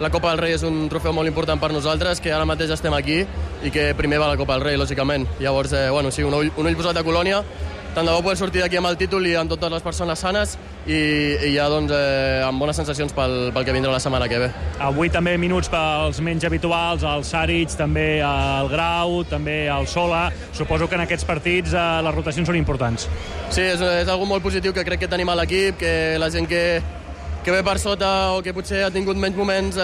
la Copa del Rei és un trofeu molt important per nosaltres, que ara mateix estem aquí i que primer va la Copa del Rei, lògicament. Llavors, sí, un ull posat a Colònia, tant de bo poder sortir d'aquí amb el títol i amb totes les persones sanes i ja amb bones sensacions pel que vindrà la setmana que ve. Avui també minuts pels menys habituals, el Saric, també el Grau, també el Sola. Suposo que en aquests partits les rotacions són importants. Sí, és algo molt positiu que crec que tenim a l'equip, que la gent que ve per sota o que potser ha tingut menys moments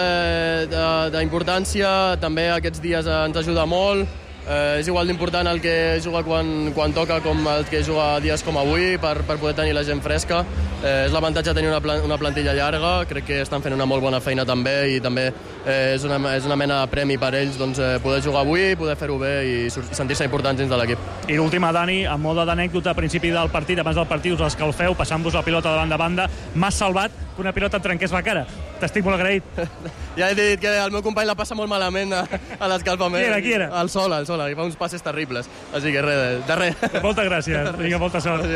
d'importància, també aquests dies ens ajuda molt. És igual d'important el que juga quan toca com el que juga dies com avui per poder tenir la gent fresca. És l'avantatge de tenir una plantilla llarga, crec que estan fent una molt bona feina també i també és una mena de premi per ells poder jugar avui, poder fer-ho bé i sentir-se importants dins de l'equip. I l'última, Dani, amb moda d'anècdota a principi del partit, abans del partit us escalfeu, passant-vos la pilota de banda a banda, m'has salvat que una pilota et trenqués la cara. T'estic molt agraït. Ja he dit que el meu company la passa molt malament a l'escalfament. Qui era? El Sola, que fa uns passes terribles. Així que res, de res. Moltes gràcies. Vinga, molta sort.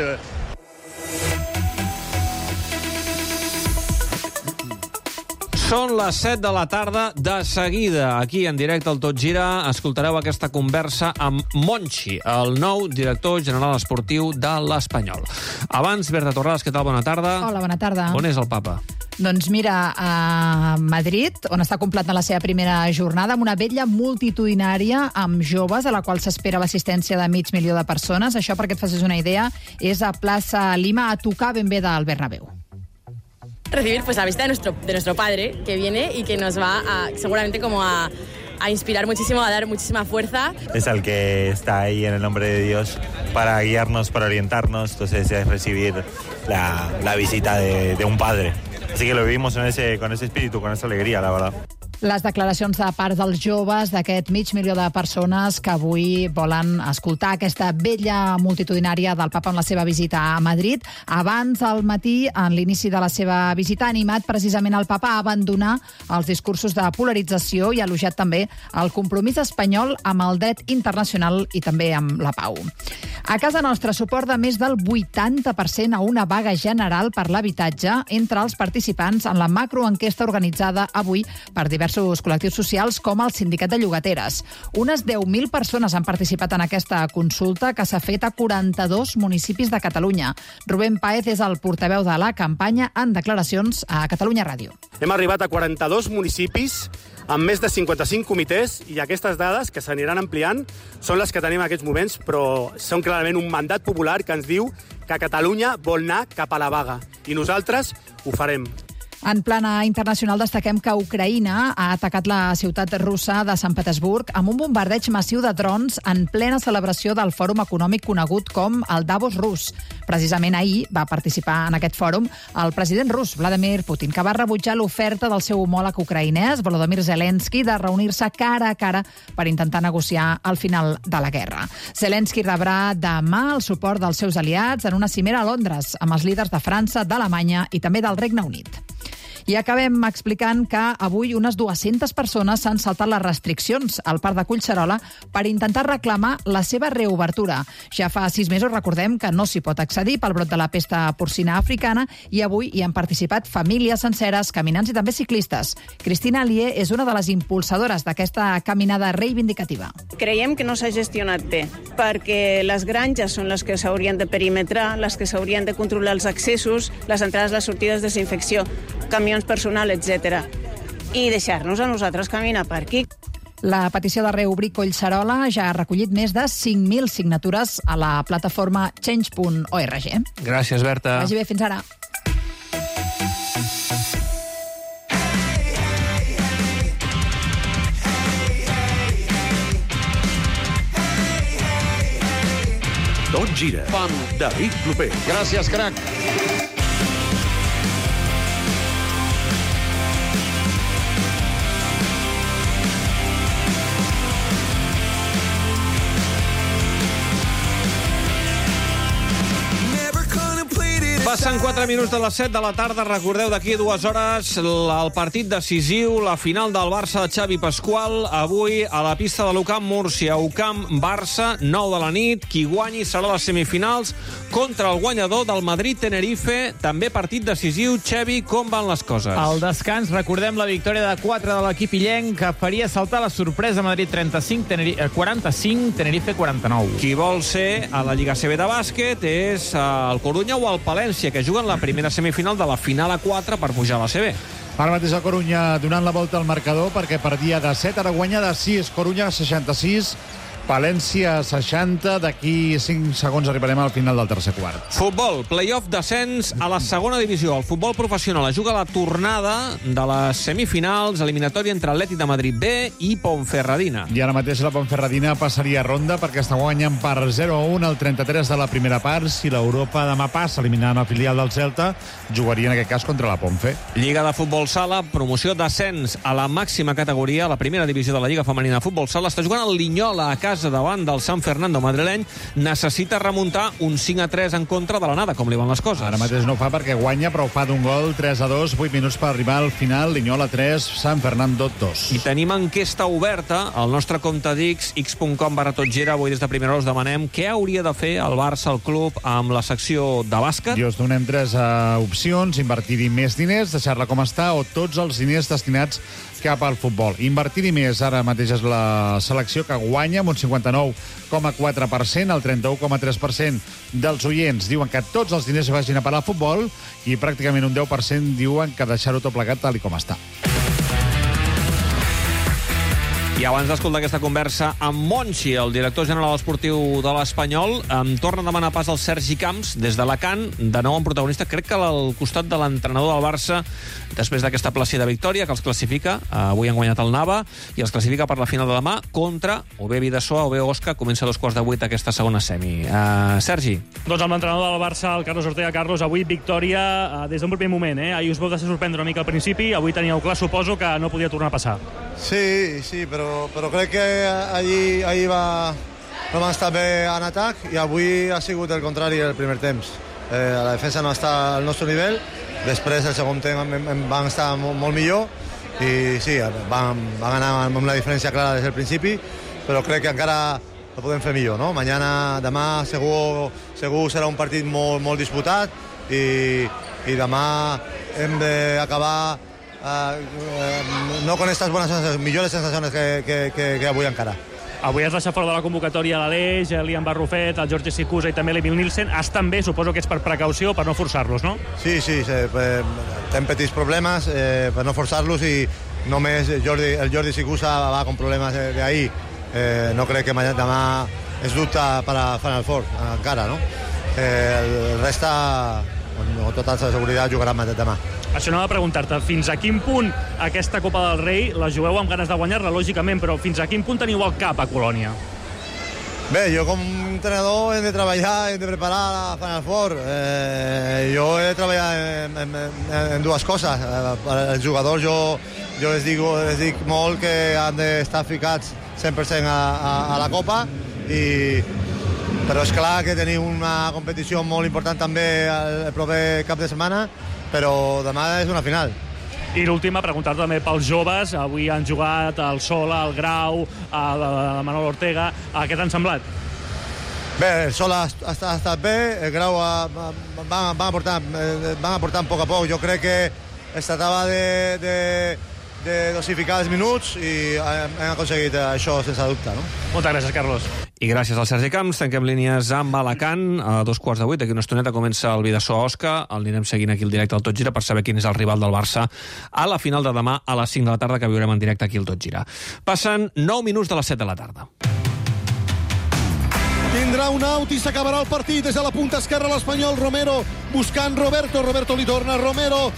Són les 7 de la tarda. De seguida, aquí en directe al Tot Gira, escoltareu aquesta conversa amb Monchi, el nou director general esportiu de l'Espanyol. Abans, Berta Torrades, què tal? Bona tarda. Hola, bona tarda. On és el papa? Doncs mira, a Madrid, on està completant la seva primera jornada, amb una vetlla multitudinària amb joves, a la qual s'espera l'assistència de 500.000 de persones. Això, perquè et facis una idea, és a Plaça Lima, a tocar ben bé del Bernabéu. Recibir pues la visita de nuestro padre, que viene y que nos va seguramente como a inspirar muchísimo, a dar muchísima fuerza. Es el que está ahí en el nombre de Dios para guiarnos, para orientarnos. Entonces es recibir la visita de un padre. Así que lo vivimos con ese espíritu, con esa alegría, la verdad. Les declaracions de part dels joves, d'aquest 500.000 de persones que avui volen escoltar aquesta vetlla multitudinària del papa en la seva visita a Madrid. Abans, al matí, en l'inici de la seva visita, ha animat precisament el papa a abandonar els discursos de polarització i ha elogiat també el compromís espanyol amb el dret internacional i també amb la pau. A casa nostra, suport de més del 80% a una vaga general per l'habitatge entre els participants en la macroenquesta organitzada avui per diversos col·lectius socials com el Sindicat de Llogateres. Unes 10.000 persones han participat en aquesta consulta que s'ha fet a 42 municipis de Catalunya. Rubén Páez és el portaveu de la campanya en declaracions a Catalunya Ràdio. Hem arribat a 42 municipis amb més de 55 comitès i aquestes dades, que s'aniran ampliant, són les que tenim en aquests moments, però són clarament un mandat popular que ens diu que Catalunya vol anar cap a la vaga. I nosaltres ho farem. En plana internacional destaquem que Ucraïna ha atacat la ciutat russa de Sant Petersburg amb un bombardeig massiu de drons en plena celebració del fòrum econòmic conegut com el Davos rus. Precisament ahir va participar en aquest fòrum el president rus, Vladimir Putin, que va rebutjar l'oferta del seu homòleg ucraïnès, Volodymyr Zelensky, de reunir-se cara a cara per intentar negociar el final de la guerra. Zelensky rebrà demà el suport dels seus aliats en una cimera a Londres amb els líders de França, d'Alemanya i també del Regne Unit. I acabem explicant que avui unes 200 persones s'han saltat les restriccions al Parc de Collserola per intentar reclamar la seva reobertura. Ja fa 6 mesos, recordem, que no s'hi pot accedir pel brot de la pesta porcina africana i avui hi han participat famílies senceres, caminants i també ciclistes. Cristina Alier és una de les impulsadores d'aquesta caminada reivindicativa. Creiem que no s'ha gestionat bé, perquè les granges són les que s'haurien de perimetrar, les que s'haurien de controlar els accessos, les entrades, les sortides, desinfecció, camions personal, etc. I deixar-nos a nosaltres caminar per aquí. La petició de reobrir Collserola ja ha recollit més de 5.000 signatures a la plataforma change.org. Gràcies, Berta. Vagi bé, fins ara. Tot gira amb David Clopé. Gràcies, crac. Passen 4 minuts de les 7 de la tarda. Recordeu, d'aquí 2 hores el partit decisiu, la final del Barça de Xavi Pasqual. Avui a la pista de l'UCAM Múrcia. UCAM Barça, 9 de la nit. Qui guanyi serà les semifinals contra el guanyador del Madrid-Tenerife. També partit decisiu. Xavi, com van les coses? Al descans, recordem la victòria de 4 de l'equip illenc, que faria saltar la sorpresa. Madrid 45, Tenerife 49. Qui vol ser a la Lliga CB de bàsquet és el Corunya o el Palència, que juguen la primera semifinal de la final a 4 per pujar a la CB. Ara mateix el Corunya donant la volta al marcador perquè perdia de 7, ara guanya de 6. Corunya 66, Palència 60. D'aquí 5 segons arribarem al final del tercer quart. Futbol, play-off descens a la segona divisió. El futbol professional juga la tornada de les semifinals, eliminatòria entre Atlètic de Madrid B i Ponferradina. I ara mateix la Ponferradina passaria a ronda perquè està guanyant per 0-1 el 33 de la primera part. Si l'Europa demà passa eliminant el filial del Celta, jugaria en aquest cas contra la Ponfe. Lliga de futbol sala, promoció descens a la màxima categoria, la primera divisió de la Lliga Femenina de Futbol Sala. Està jugant el Linyola a casa davant del San Fernando madrileny. Necessita remuntar un 5-3 en contra de l'anada. Com li van les coses? Ara mateix no ho fa perquè guanya, però ho fa d'un gol, 3-2, 8 minuts per arribar al final. Linyola 3, San Fernando 2. I tenim enquesta oberta al nostre compte d'X, x.com/totgira. Avui des de primera hora us demanem què hauria de fer el Barça, el club, amb la secció de bàsquet. I us donem 3 opcions: invertir-hi més diners, deixar-la com està, o tots els diners destinats cap al futbol. Invertir-hi més, ara mateix és la selecció que guanya amb un 59,4%, el 31,3% dels oients diuen que tots els diners vagin a parar al futbol i pràcticament un 10% diuen que deixar-ho tot plegat tal com està. I abans d'escoltar aquesta conversa amb Monchi, el director general esportiu de l'Espanyol, em torna a demanar pas al Sergi Camps, des d'Alacant, de nou en protagonista, crec que al costat de l'entrenador del Barça, després d'aquesta plàcida victòria, que els classifica, avui han guanyat el Nava, i els classifica per la final de demà contra o bé Vidasoa o bé Osca. Comença a 7:15 aquesta segona semi. Sergi. Doncs amb l'entrenador del Barça, el Carlos Ortega. Carlos, avui victòria des d'un primer moment. Ahir us vau deixar sorprendre una mica al principi, avui teníeu clar, suposo, que no podia tornar a passar. Sí, però crec que ahir no vam estar bé en atac i avui ha sigut el contrari el primer temps. La defensa no està al nostre nivell, després el segon temps vam estar molt millor i sí, vam anar amb una diferència clara des del principi, però crec que encara ho podem fer millor, no? Demà segur serà un partit molt disputat i demà hem d'acabar no con estas buenas sensaciones, millores sensaciones que avui encara. Avui has deixat fora de la convocatòria l'Aleix, l'Ian Barrufet, el Jorge Sicusa i també l'Emil Nielsen. Estan bé, suposo que és per precaució, per no forçar-los, no? Sí, ten petits problemes per no forçar-los i només el Jordi Sicusa va con problemes d'ahir. No crec que demà és dubte per a Final Four, encara, no? El resta, amb tota seguretat, jugarà demà. Això anava a preguntar-te, fins a quin punt aquesta Copa del Rei la jugueu amb ganes de guanyar-la, lògicament, però fins a quin punt teniu al cap a Colònia? Bé, jo com a entrenador he de treballar, he de preparar la Final Four. Jo he de treballar en dues coses. Els jugadors jo les dic molt que han d'estar ficats 100% a la Copa, però és clar que tenim una competició molt important també el proper cap de setmana, però demà és una final. I l'última, preguntar-te també pels joves. Avui han jugat el Sola, el Grau, el Manol Ortega. Què t'han semblat? Bé, el Sola ha estat bé, el Grau van aportant a poc. Jo crec que es tractava de dosificar els minuts i hem aconseguit això sense dubte, no? Moltes gràcies, Carlos. I gràcies al Sergi Camps. Tanquem línies amb Alacant. A 7:15, d'aquí una estoneta, comença el Vidasoa Osca. El anirem seguint aquí al directe al Tot Gira per saber quin és el rival del Barça a la final de demà a les 5 de la tarda, que viurem en directe aquí al Tot Gira. Passen 9 minuts de les 7 de la tarda. Tindrà un out i s'acabarà el partit. Des de la punta esquerra l'Espanyol, Romero buscant Roberto li torna Romero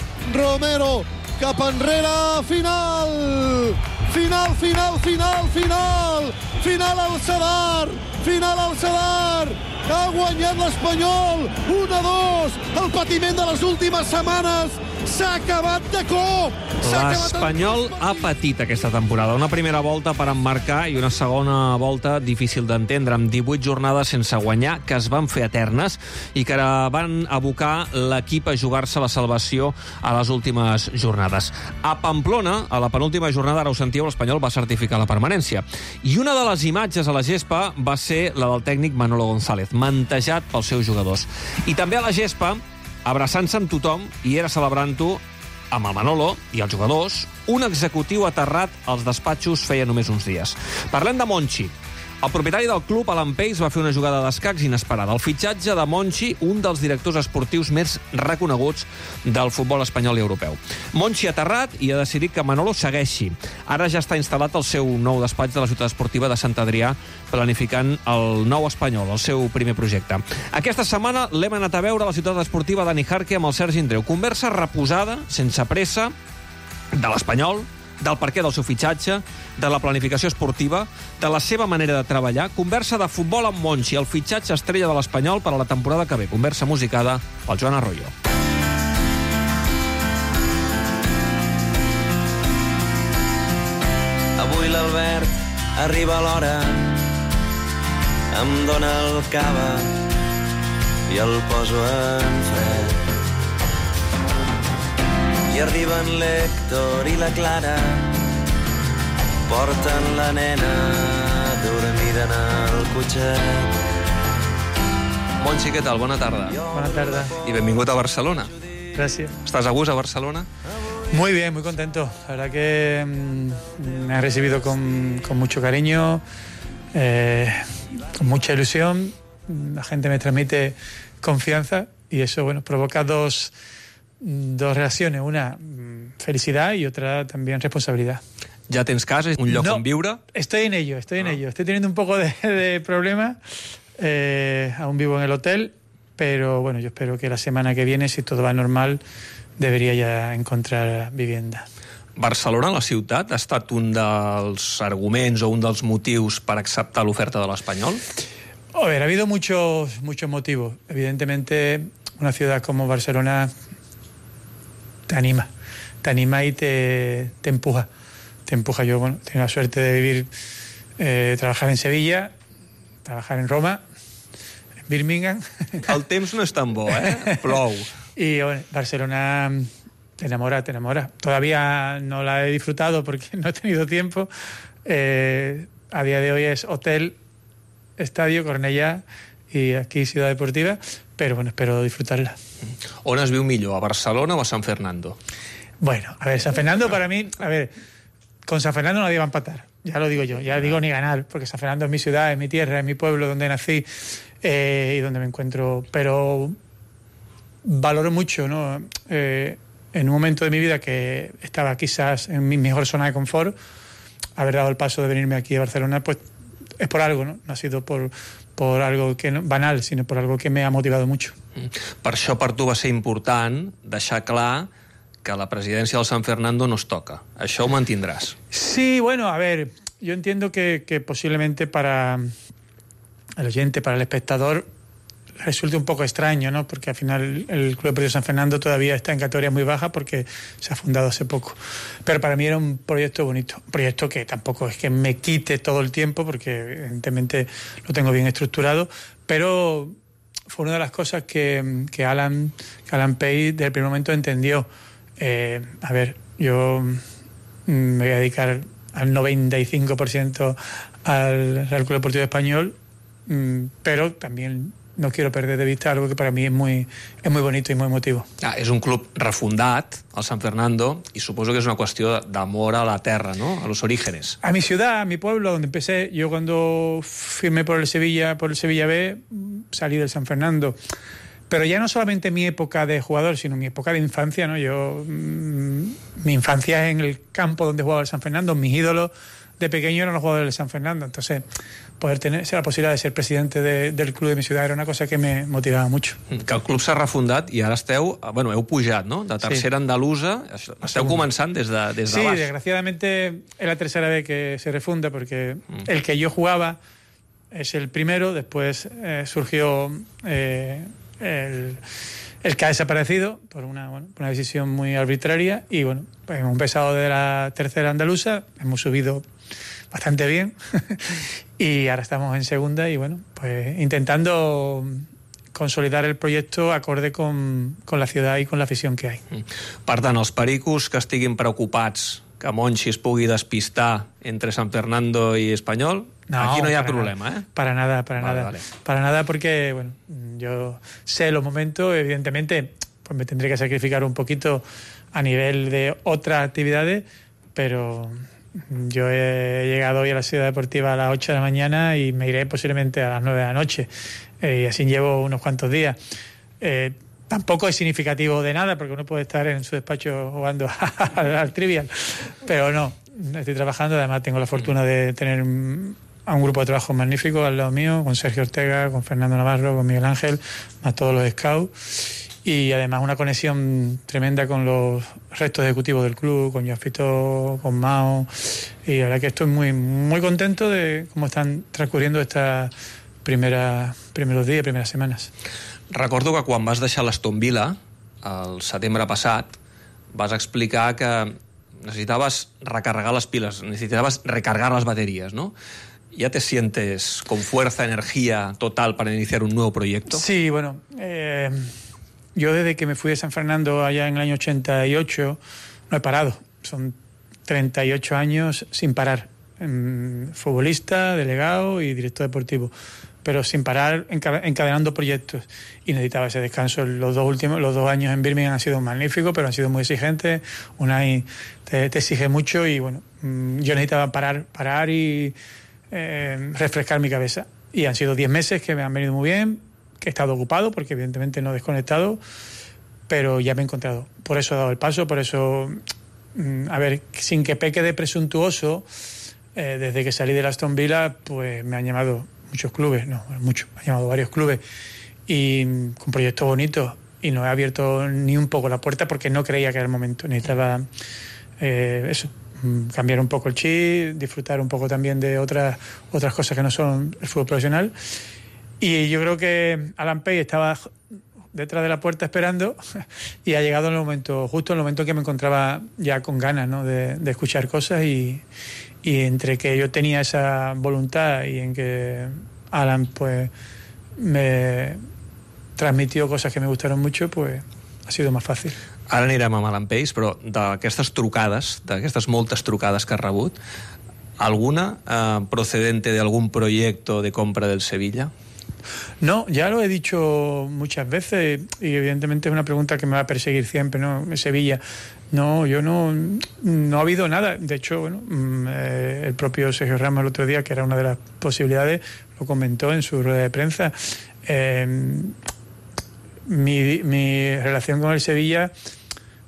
cap enrere, final al Sadar, final al Sadar. Ha guanyat l'Espanyol 1-2. El patiment de les últimes setmanes s'ha acabat de cop. L'Espanyol ha patit aquesta temporada. Una primera volta per emmarcar i una segona volta difícil d'entendre, amb 18 jornades sense guanyar, que es van fer eternes i que van abocar l'equip a jugar-se la salvació a les últimes jornades. A Pamplona, a la penúltima jornada, ara ho sentíeu, l'Espanyol va certificar la permanència. I una de les imatges a la gespa va ser la del tècnic Manolo González, mantejat pels seus jugadors. I també a la gespa, abraçant-se amb tothom, i era celebrant-ho amb el Manolo i els jugadors, un executiu aterrat als despatxos feia només uns dies. Parlem de Monchi. El propietari del club, Alan Pace, va fer una jugada d'escacs inesperada. El fitxatge de Monchi, un dels directors esportius més reconeguts del futbol espanyol i europeu. Monchi ha aterrat i ha decidit que Manolo segueixi. Ara ja està instal·lat al seu nou despatx de la ciutat esportiva de Sant Adrià, planificant el nou Espanyol, el seu primer projecte. Aquesta setmana l'hem anat a veure a la ciutat esportiva Dani Jarque amb el Sergi Andreu. Conversa reposada, sense pressa, de l'Espanyol, del perquè del seu fitxatge, de la planificació esportiva, de la seva manera de treballar. Conversa de futbol amb Monchi, el fitxatge estrella de l'Espanyol per a la temporada que ve. Conversa musicada pel Joan Arroyo. Avui l'Albert arriba a l'hora, em dóna el cava i el poso en fred. I arriben l'Héctor i la Clara, porten la nena dormida en el cotxet. Monchi, què tal? Bona tarda. Buena tarde. I benvingut a Barcelona. Gracias. ¿Estás a gusto a Barcelona? Muy bien, muy contento. La verdad que me ha recibido con mucho cariño, con mucha ilusión. La gente me transmite confianza y eso, bueno, provoca dos reacciones. Una, felicidad, y otra también responsabilidad. Ja tens casa, un lloc on viure? Estoy en ello. Estoy teniendo un poco de problema. Aún vivo en el hotel, pero bueno, yo espero que la semana que viene, si todo va normal, debería ya encontrar vivienda. Barcelona, la ciutat, ha estat un dels arguments o un dels motius per acceptar l'oferta de l'Espanyol? A ver, ha habido muchos motivos. Evidentemente, una ciudad como Barcelona te anima y te empuja. Te empuja. Yo, bueno, tengo la suerte de vivir, trabajar en Sevilla, trabajar en Roma, en Birmingham. El temps no és tan bo, Plou. Y bueno, Barcelona te enamora. Todavía no la he disfrutado porque no he tenido tiempo. A día de hoy es hotel, estadio, Cornellà y aquí Ciudad Deportiva, pero bueno, espero disfrutarla. On es viu millor, a Barcelona o a San Fernando? Bueno, a ver, San Fernando para mí, con San Fernando nadie va a empatar, ya lo digo yo, ya digo ni ganar, porque San Fernando es mi ciudad, es mi tierra, es mi pueblo donde nací y donde me encuentro, pero valoro mucho, ¿no? En un momento de mi vida que estaba quizás en mi mejor zona de confort, haber dado el paso de venirme aquí a Barcelona, pues es por algo, ¿no? No ha sido por algo que no, banal, sino por algo que me ha motivado mucho. Per això per tu va ser important deixar clar que la presidència del San Fernando no es toca. Això ho mantindràs. Sí, bueno, a ver, yo entiendo que posiblemente para el oyente, para el espectador, resulte un poco extraño, ¿no? Porque al final el Club Deportivo San Fernando todavía está en categoría muy baja porque se ha fundado hace poco. Pero para mí era un proyecto bonito, un proyecto que tampoco es que me quite todo el tiempo porque evidentemente lo tengo bien estructurado, pero fue una de las cosas que Alan Pace desde el primer momento entendió. A ver, yo me voy a dedicar al 95% al Club Deportivo Español, pero también no quiero perder de vista algo que para mí es muy bonito y muy emotivo. És un club refundat, el San Fernando, y suposo que es una cuestión d'amor a la terra, ¿no? A los orígenes. A mi ciudad, a mi pueblo, donde empecé. Yo cuando firmé por el Sevilla B, salí del San Fernando. Pero ya no solamente mi época de jugador, sino mi época de infancia, ¿no? Mi infancia es en el campo donde jugaba el San Fernando. Mis ídolos de pequeño eran los jugadores del San Fernando. Entonces, poder tener la posibilidad de ser presidente del club de mi ciudad era una cosa que me motivaba mucho. Que el club s'ha refundat i ara heu pujat, no? De tercera andalusa, esteu començant des de sí, baix. Desgraciadamente es la tercera vez que se refunda porque el que yo jugaba es el primero, después surgió el que ha desaparecido por una decisión muy arbitraria y bueno, pues hemos empezado de la tercera andaluza, hemos subido bastante bien y ahora estamos en segunda y bueno, pues intentando consolidar el proyecto acorde con la ciudad i con l'afició que hay. Per tant, els pericos que estiguin preocupats que Monchi es pugui despistar entre San Fernando y Espanyol, aquí no hi ha problema, ¿eh? Para nada. Para nada porque, bueno, yo sé los momentos, evidentemente, pues me tendré que sacrificar un poquito a nivel de otras actividades, pero yo he llegado hoy a la Ciudad Deportiva a las 8 de la mañana y me iré posiblemente a las 9 de la noche. Y así llevo unos cuantos días. Tampoco es significativo de nada, porque uno puede estar en su despacho jugando al trivial, pero no, estoy trabajando, además tengo la fortuna de tener a un grupo de trabajo magnífico al lado mío, con Sergio Ortega, con Fernando Navarro, con Miguel Ángel, más todos los scouts, y además una conexión tremenda con los restos ejecutivos del club, con Joan Fitó, con Mao, y la verdad que estoy muy, muy contento de cómo están transcurriendo estas primeros días, primeras semanas. Recordo que quan vas deixar l'Aston Villa, el setembre passat, vas explicar que necesitaves recargar las pilas, necesitabas recargar las baterías, ¿no? ¿Ya te sientes con fuerza, energía total para iniciar un nuevo proyecto? Sí, bueno, yo desde que me fui de San Fernando allá en el año 88 no he parado. Son 38 años sin parar. Futbolista, delegado y director deportivo, pero sin parar, encadenando proyectos, y necesitaba ese descanso. Los dos años en Birmingham han sido magníficos, pero han sido muy exigentes. Unai te exige mucho y bueno, yo necesitaba parar y refrescar mi cabeza, y han sido 10 meses que me han venido muy bien, que he estado ocupado porque evidentemente no he desconectado, pero ya me he encontrado. Por eso he dado el paso, por eso, a ver, sin que peque de presuntuoso, desde que salí de la Aston Villa, pues me han llamado muchos clubes, me han llamado varios clubes, y con proyectos bonitos, y no he abierto ni un poco la puerta porque no creía que era el momento. Necesitaba cambiar un poco el chip, disfrutar un poco también de otras cosas que no son el fútbol profesional, y yo creo que Alan Page estaba detrás de la puerta esperando y ha llegado justo en el momento que me encontraba ya con ganas, ¿no?, de escuchar cosas, y entre que yo tenía esa voluntad y en que Alan pues me transmitió cosas que me gustaron mucho, pues ha sido más fàcil. Ara anirem amb Alan Page, però d'aquestes trucades, d'aquestes moltes trucades que has rebut, alguna procedente de algún proyecto de compra del Sevilla? No, ya lo he dicho muchas veces, y evidentemente es una pregunta que me va a perseguir siempre, ¿no? Sevilla. No, yo no ha habido nada. De hecho, bueno, el propio Sergio Ramos el otro día, que era una de las posibilidades, lo comentó en su rueda de prensa. Mi relación con el Sevilla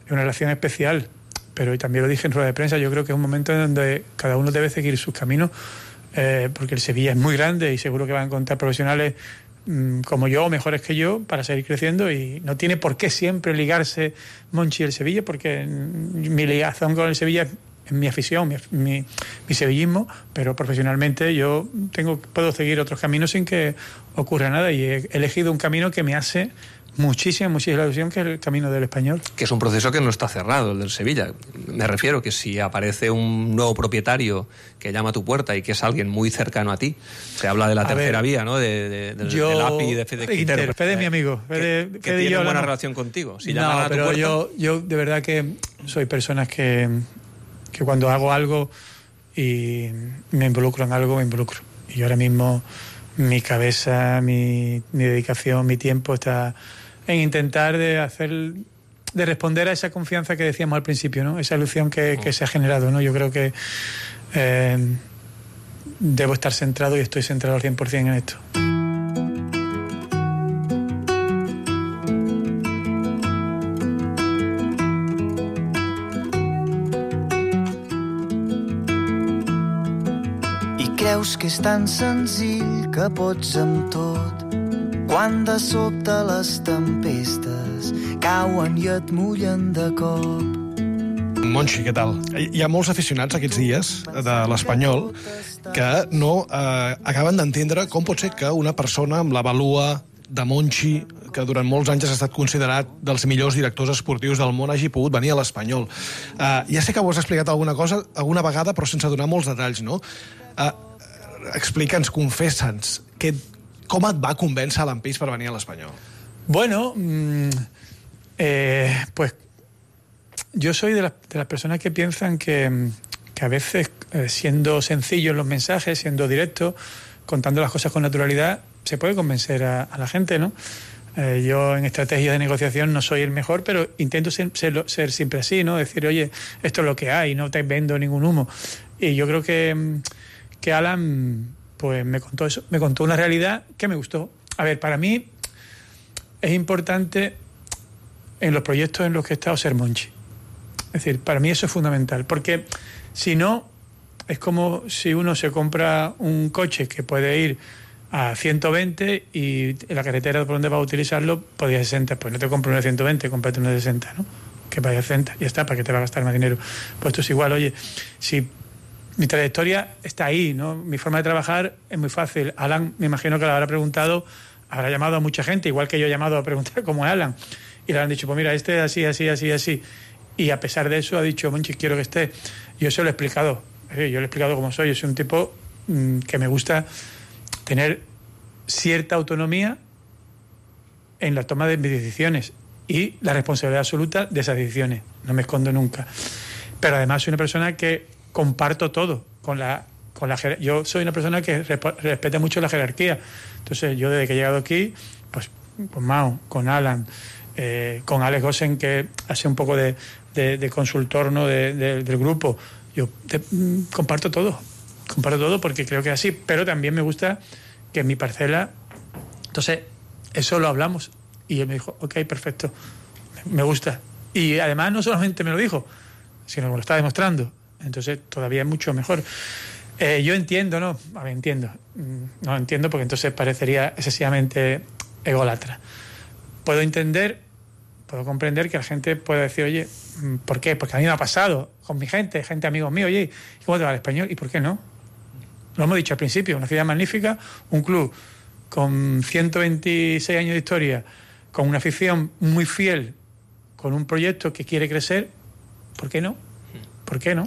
es una relación especial, pero también lo dije en rueda de prensa, yo creo que es un momento en donde cada uno debe seguir sus caminos, porque el Sevilla es muy grande y seguro que va a encontrar profesionales como yo o mejores que yo para seguir creciendo, y no tiene por qué siempre ligarse Monchi y el Sevilla, porque mi ligación con el Sevilla es mi afición, mi sevillismo, pero profesionalmente yo puedo seguir otros caminos sin que ocurra nada, y he elegido un camino que me hace muchísima ilusión, que es el camino del Español. Que es un proceso que no está cerrado, el del Sevilla. Me refiero que si aparece un nuevo propietario que llama a tu puerta y que es alguien muy cercano a ti, se habla de la tercera vía, ¿no? Del API, de Fede Quintero. Fede es mi amigo. Que tiene buena relación contigo. Si llaman a tu puerta... yo de verdad que soy personas que cuando hago algo y me involucro en algo, me involucro. Y ahora mismo mi cabeza, mi dedicación, mi tiempo está en intentar de responder a esa confianza que decíamos al principio, ¿no? Esa ilusión que se ha generado, ¿no? Yo creo que debo estar centrado, y estoy centrado al 100% en esto. Creus que és tan senzill que pots amb tot, quan de sobte les tempestes cauen i et mullen de cop. Monchi, què tal? Hi ha molts aficionats aquests dies de l'Espanyol que no acaben d'entendre com pot ser que una persona amb la valua de Monchi, que durant molts anys ha estat considerat dels millors directors esportius del món, hagi pogut venir a l'Espanyol. Ja sé que ho has explicat alguna vegada, però sense donar molts detalls, no? Explica'ns, confessa'ns, com et va convèncer l'Empeix per venir a l'Espanyol? Bueno, pues yo soy de las personas que piensan que a veces, siendo sencillo en los mensajes, siendo directo, contando las cosas con naturalidad, se puede convencer a la gente, ¿no? Yo en estrategia de negociación no soy el mejor, pero intento ser siempre así, ¿no? Decir, oye, esto es lo que hay, no te vendo ningún humo. Y yo creo que Alan pues me contó eso, me contó una realidad que me gustó. A ver, para mí es importante en los proyectos en los que he estado ser Monchi. Es decir, para mí eso es fundamental, porque si no, es como si uno se compra un coche que puede ir a 120 y en la carretera por donde va a utilizarlo podría 60. Pues no te compro uno de 120, cómprate uno de 60, ¿no? Que vaya a 60, ya está, para que te va a gastar más dinero. Pues esto es igual, oye, si mi trayectoria está ahí, ¿no? Mi forma de trabajar es muy fácil. Alan, me imagino que le habrá preguntado, habrá llamado a mucha gente, igual que yo he llamado a preguntar cómo es Alan. Y le han dicho, pues mira, este es así, así, así, así. Y a pesar de eso ha dicho, Monchi, quiero que esté. Yo se lo he explicado. Yo le he explicado cómo soy. Yo soy un tipo que me gusta tener cierta autonomía en la toma de mis decisiones y la responsabilidad absoluta de esas decisiones. No me escondo nunca. Pero además soy una persona que comparto todo yo soy una persona que respeta mucho la jerarquía. Entonces yo desde que he llegado aquí, pues con Mao, con Alan, con Alex Gosen, que hace un poco de consultor, ¿no? del grupo, yo comparto todo porque creo que es así, pero también me gusta que en mi parcela, entonces eso lo hablamos y él me dijo, ok, perfecto, me gusta. Y además no solamente me lo dijo, sino que me lo está demostrando. Entonces todavía es mucho mejor. Yo entiendo, ¿no? A ver, no entiendo porque entonces parecería excesivamente ególatra. Puedo comprender que la gente pueda decir, oye, ¿por qué? Porque a mí me ha pasado con mi gente amigos míos, oye, ¿cómo te va el Español? ¿Y por qué no? Lo hemos dicho al principio, una ciudad magnífica, un club con 126 años de historia, con una afición muy fiel, con un proyecto que quiere crecer, ¿por qué no? ¿Por qué no?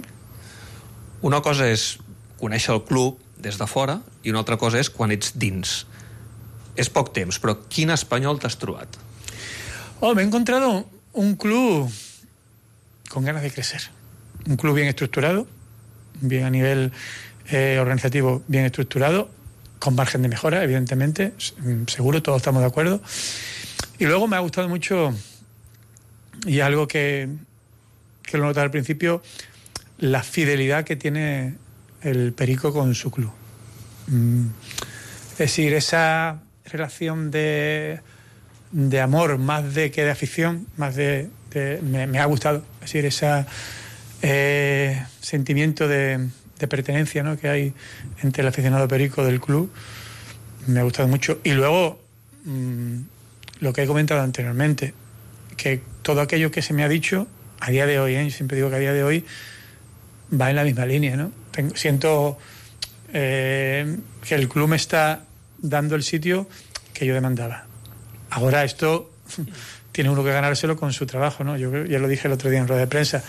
Una cosa és conèixer el club des de fora i una altra cosa és quan ets dins. És poc temps, però quin Espanyol t'has trobat? Me he encontrado un club con ganas de crecer. Un club bien estructurado, bien a nivel organizativo, bien estructurado, con margen de mejora, evidentemente, seguro, todos estamos de acuerdo. Y luego me ha gustado mucho, y algo que lo noté al principio, la fidelidad que tiene el Perico con su club. Es decir, esa relación de amor, más de que de afición, más me ha gustado. Es decir, ese sentimiento de pertenencia, ¿no? que hay entre el aficionado Perico del club, me ha gustado mucho. Y luego, lo que he comentado anteriormente, que todo aquello que se me ha dicho, a día de hoy, yo siempre digo que a día de hoy, va en la misma línea, ¿no? Siento que el club me está dando el sitio que yo demandaba. Ahora esto tiene uno que ganárselo con su trabajo, ¿no? Yo ya lo dije el otro día en rueda de prensa.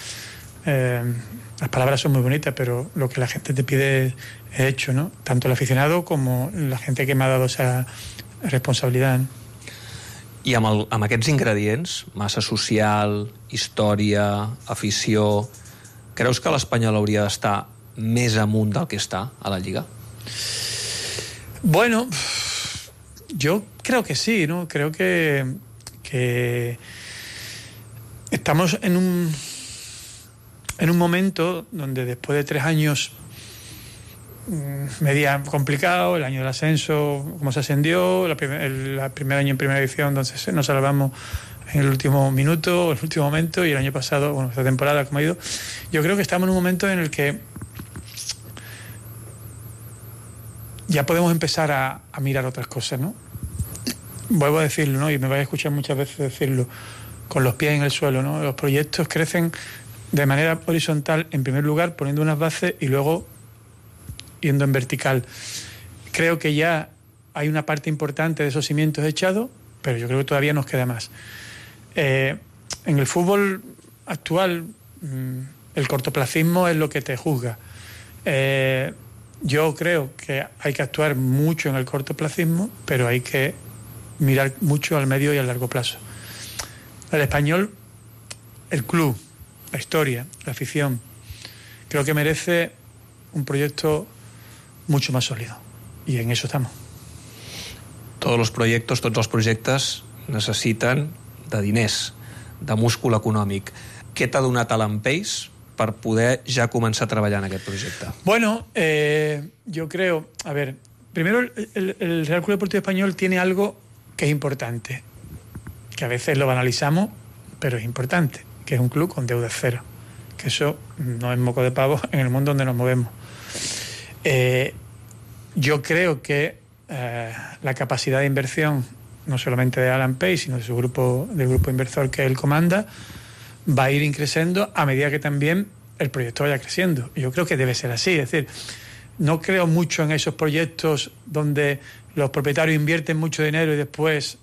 Las palabras son muy bonitas, pero lo que la gente te pide es hecho, ¿no? Tanto el aficionado como la gente que me ha dado esa responsabilidad, ¿no? I amb aquests ingredients, massa social, història, afició, creus que l'Espanyol hauria d'estar més amunt del que està a la Lliga? Bueno, yo creo que sí, ¿no? Creo que estamos en un momento donde después de 3 años media complicado, el año del ascenso, como se ascendió, el primer año en primera división, entonces nos salvamos en el último minuto, en el último momento, y el año pasado, bueno, esta temporada como ha ido, yo creo que estamos en un momento en el que ya podemos empezar a mirar otras cosas, ¿no? Vuelvo a decirlo, ¿no? Y me vais a escuchar muchas veces decirlo, con los pies en el suelo, ¿no? Los proyectos crecen de manera horizontal, en primer lugar, poniendo unas bases y luego yendo en vertical. Creo que ya hay una parte importante de esos cimientos echados, pero yo creo que todavía nos queda más. En el fútbol actual, el cortoplacismo es lo que te juzga. Yo creo que hay que actuar mucho en el cortoplacismo, pero hay que mirar mucho al medio y al largo plazo. El Español, el club, la historia, la afición, creo que merece un proyecto mucho más sólido. I en eso estamos. Tots els projectes necessiten de diners, de múscul econòmic. Què t'ha donat a l'Empeix per poder ja començar a treballar en aquest projecte? Bueno, yo creo, a ver, primero el Real Club Deportivo Español tiene algo que es importante, que a veces lo banalizamos, pero es importante, que es un club con deuda cero, que eso no es moco de pavo en el mundo donde nos movemos. Yo creo que la capacidad de inversión, no solamente de Alan Page, sino de su grupo, del grupo inversor que él comanda, va a ir increciendo a medida que también el proyecto vaya creciendo. Yo creo que debe ser así, es decir, no creo mucho en esos proyectos donde los propietarios invierten mucho dinero y después,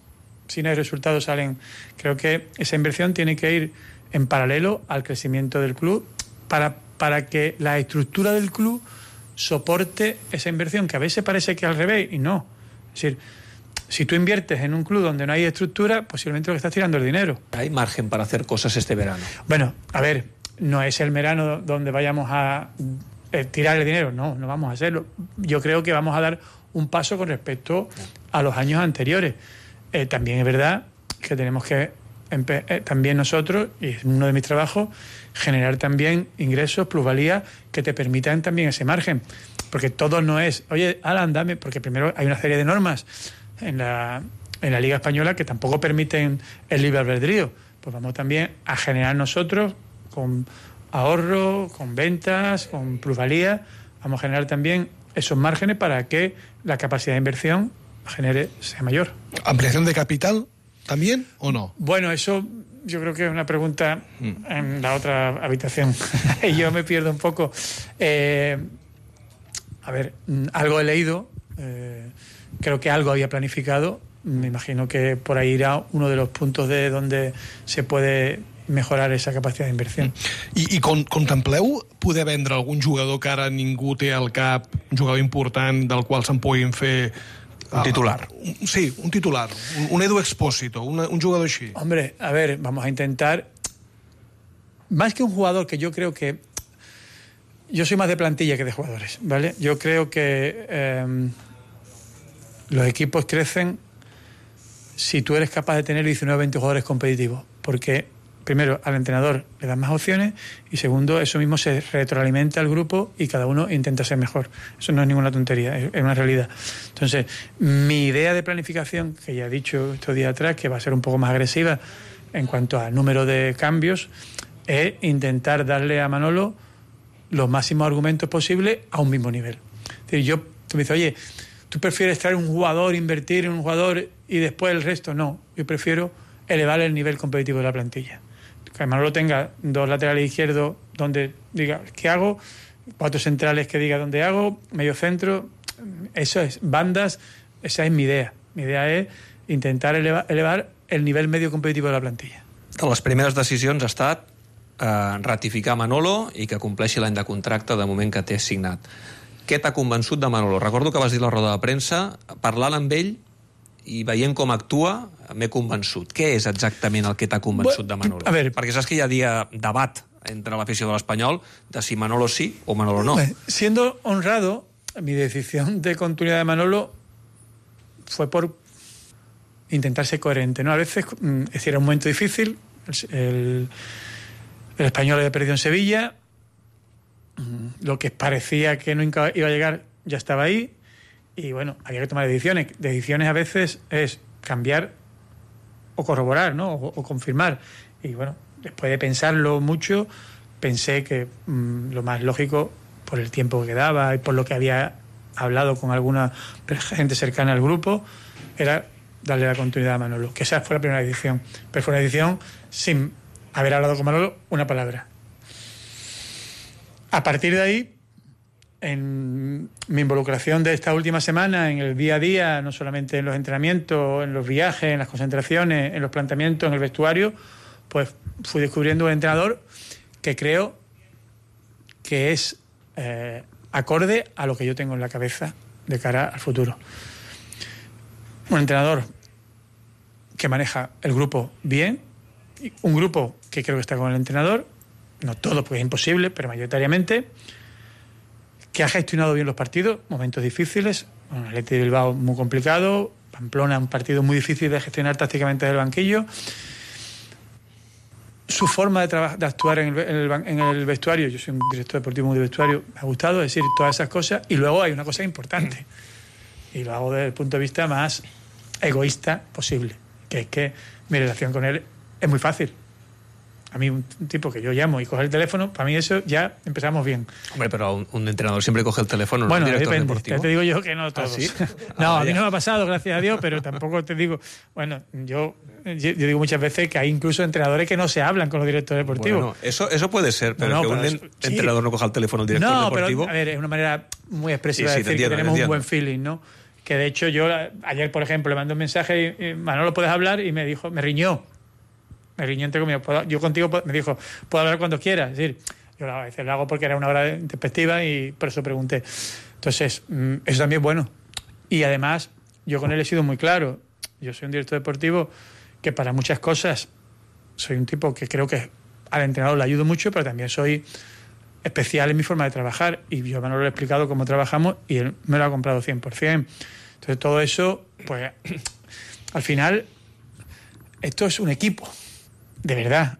si no hay resultados, salen. Creo que esa inversión tiene que ir en paralelo al crecimiento del club para que la estructura del club soporte esa inversión, que a veces parece que al revés, y no. Es decir, si tú inviertes en un club donde no hay estructura, posiblemente lo que estás tirando es dinero. ¿Hay margen para hacer cosas este verano? Bueno, a ver, no es el verano donde vayamos a tirar el dinero, no vamos a hacerlo. Yo creo que vamos a dar un paso con respecto a los años anteriores. También es verdad que tenemos que también nosotros, y es uno de mis trabajos, generar también ingresos, plusvalías que te permitan también ese margen. Porque todo no es, oye, Alan, dame, porque primero hay una serie de normas en la Liga Española que tampoco permiten el libre albedrío. Pues vamos también a generar nosotros con ahorro, con ventas, con plusvalías, vamos a generar también esos márgenes para que la capacidad de inversión sea mayor. ¿Ampliación de capital también o no? Bueno, eso yo creo que es una pregunta en la otra habitación. Yo me pierdo un poco. A ver, algo he leído, creo que algo había planificado, me imagino que por ahí irá uno de los puntos de donde se puede mejorar esa capacidad de inversión. I contempleu poder vendre algun jugador que ara ningú té al cap, un jugador important del qual se'n puguin fer... Un titular. Sí, un titular. Un Edu Expósito, un jugador así. Hombre, a ver, vamos a intentar... Más que un jugador, que yo creo que... Yo soy más de plantilla que de jugadores, ¿vale? Yo creo que los equipos crecen si tú eres capaz de tener 19 o 20 jugadores competitivos. Porque, primero, al entrenador le das más opciones y, segundo, eso mismo se retroalimenta al grupo y cada uno intenta ser mejor. Eso no es ninguna tontería, es una realidad. Entonces, mi idea de planificación, que ya he dicho estos días atrás, que va a ser un poco más agresiva en cuanto al número de cambios, es intentar darle a Manolo los máximos argumentos posibles a un mismo nivel. Es decir, tú me dices, oye, ¿tú prefieres traer un jugador, invertir en un jugador y después el resto? No, yo prefiero elevar el nivel competitivo de la plantilla. Que Manolo tenga 2 laterales izquierdos donde diga qué hago, 4 centrales que diga dónde hago, medio centro, eso es, bandas, esa es mi idea. Mi idea es intentar elevar el nivel medio competitivo de la plantilla. De les primeres decisions ha estat ratificar Manolo i que compleixi l'any de contracte de moment que té signat. Què t'ha convençut de Manolo? Recordo que vas dir a la roda de premsa, parlant amb ell i veient com actua, m'he convençut. Què és exactament el que t'ha convençut de Manolo? A ver, perquè saps que hi ha debat entre l'afició de l'Espanyol de si Manolo sí o Manolo no. Siendo honrado, mi decisión de continuidad de Manolo fue por intentar ser coherente, ¿no? A veces, es decir, era un momento difícil, el Español había perdido en Sevilla, lo que parecía que no iba a llegar ya estaba ahí, y bueno, había que tomar decisiones. Decisiones a veces es cambiar o corroborar, ¿no? O confirmar. Y bueno, después de pensarlo mucho, pensé que lo más lógico, por el tiempo que quedaba y por lo que había hablado con alguna gente cercana al grupo, era darle la continuidad a Manolo. Que esa fue la primera decisión. Pero fue una decisión sin haber hablado con Manolo una palabra. A partir de ahí, en mi involucración de esta última semana, en el día a día, no solamente en los entrenamientos, en los viajes, en las concentraciones, en los planteamientos, en el vestuario, pues fui descubriendo un entrenador que creo que es acorde a lo que yo tengo en la cabeza de cara al futuro. Un entrenador que maneja el grupo bien, un grupo que creo que está con el entrenador, no todo porque es imposible, pero mayoritariamente, que ha gestionado bien los partidos, momentos difíciles, bueno, el Athletic de Bilbao muy complicado, Pamplona un partido muy difícil de gestionar tácticamente desde el banquillo. Su forma de actuar en el vestuario, yo soy un director deportivo muy de vestuario, me ha gustado decir todas esas cosas, y luego hay una cosa importante, y lo hago desde el punto de vista más egoísta posible, que es que mi relación con él es muy fácil. A mí, un tipo que yo llamo y coge el teléfono, para mí eso ya empezamos bien. Hombre, pero un entrenador siempre coge el teléfono, bueno, ¿no? Un director depende, deportivo. te digo yo que no todos. ¿Ah, sí? No, a mí no me ha pasado, gracias a Dios, pero tampoco te digo... Bueno, yo digo muchas veces que hay incluso entrenadores que no se hablan con los directores deportivos. Bueno, eso puede ser, pero que un entrenador no coja el teléfono al director deportivo... No, pero a ver, es una manera muy expresiva de decir que tenemos un buen feeling, ¿no? Que de hecho yo ayer, por ejemplo, le mandé un mensaje y Manolo, ¿puedes hablar? Y me dijo, me riñó entre comillas, yo contigo, me dijo, puedo hablar cuando quieras. Es decir, yo a veces lo hago porque era una hora de perspectiva y por eso pregunté. Entonces, eso también es bueno. Y además, yo con él he sido muy claro. Yo soy un director deportivo que para muchas cosas soy un tipo que creo que al entrenador le ayudo mucho, pero también soy especial en mi forma de trabajar. Y yo a Manolo le he explicado cómo trabajamos y él me lo ha comprado 100%. Entonces, todo eso, pues, al final, esto es un equipo. De verdad,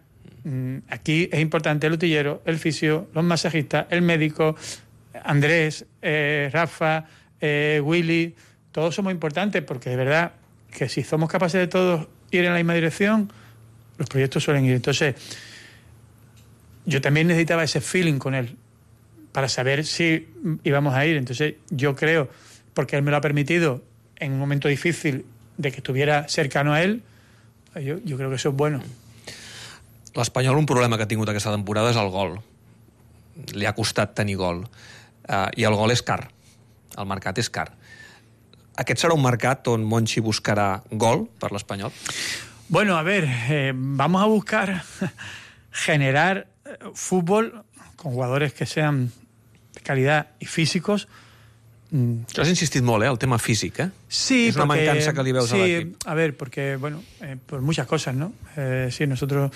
aquí es importante el utillero, el fisio, los masajistas, el médico, Andrés, Rafa, Willy, todos somos importantes porque de verdad que si somos capaces de todos ir en la misma dirección, los proyectos suelen ir. Entonces, yo también necesitaba ese feeling con él para saber si íbamos a ir. Entonces, yo creo, porque él me lo ha permitido en un momento difícil de que estuviera cercano a él, yo creo que eso es bueno. L'Espanyol, un problema que ha tingut aquesta temporada és el gol. Li ha costat tenir gol. I el gol és car. El mercat és car. Aquest serà un mercat on Monchi buscarà gol per l'Espanyol? Bueno, a ver, vamos a buscar generar fútbol con jugadores que sean de calidad y físicos. Has insistit molt, el tema físic, Sí, és una mancança que li veus a l'equip. A ver, porque, bueno, por muchas cosas, ¿no? Sí, nosotros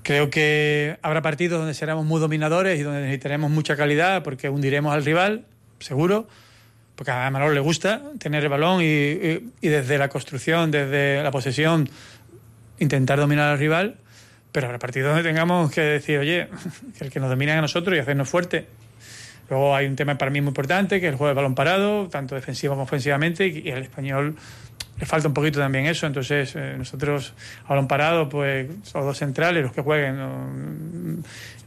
creo que habrá partidos donde seremos muy dominadores y donde necesitaremos mucha calidad porque hundiremos al rival, seguro, porque a Manolo le gusta tener el balón y desde la construcción, desde la posesión, intentar dominar al rival, pero habrá partidos donde tengamos que decir, oye, que el que nos domine a nosotros y hacernos fuerte. Luego hay un tema para mí muy importante, que es el juego de balón parado, tanto defensivo como ofensivamente, y al Español le falta un poquito también eso. Entonces, nosotros a balón parado, pues, son dos centrales los que jueguen,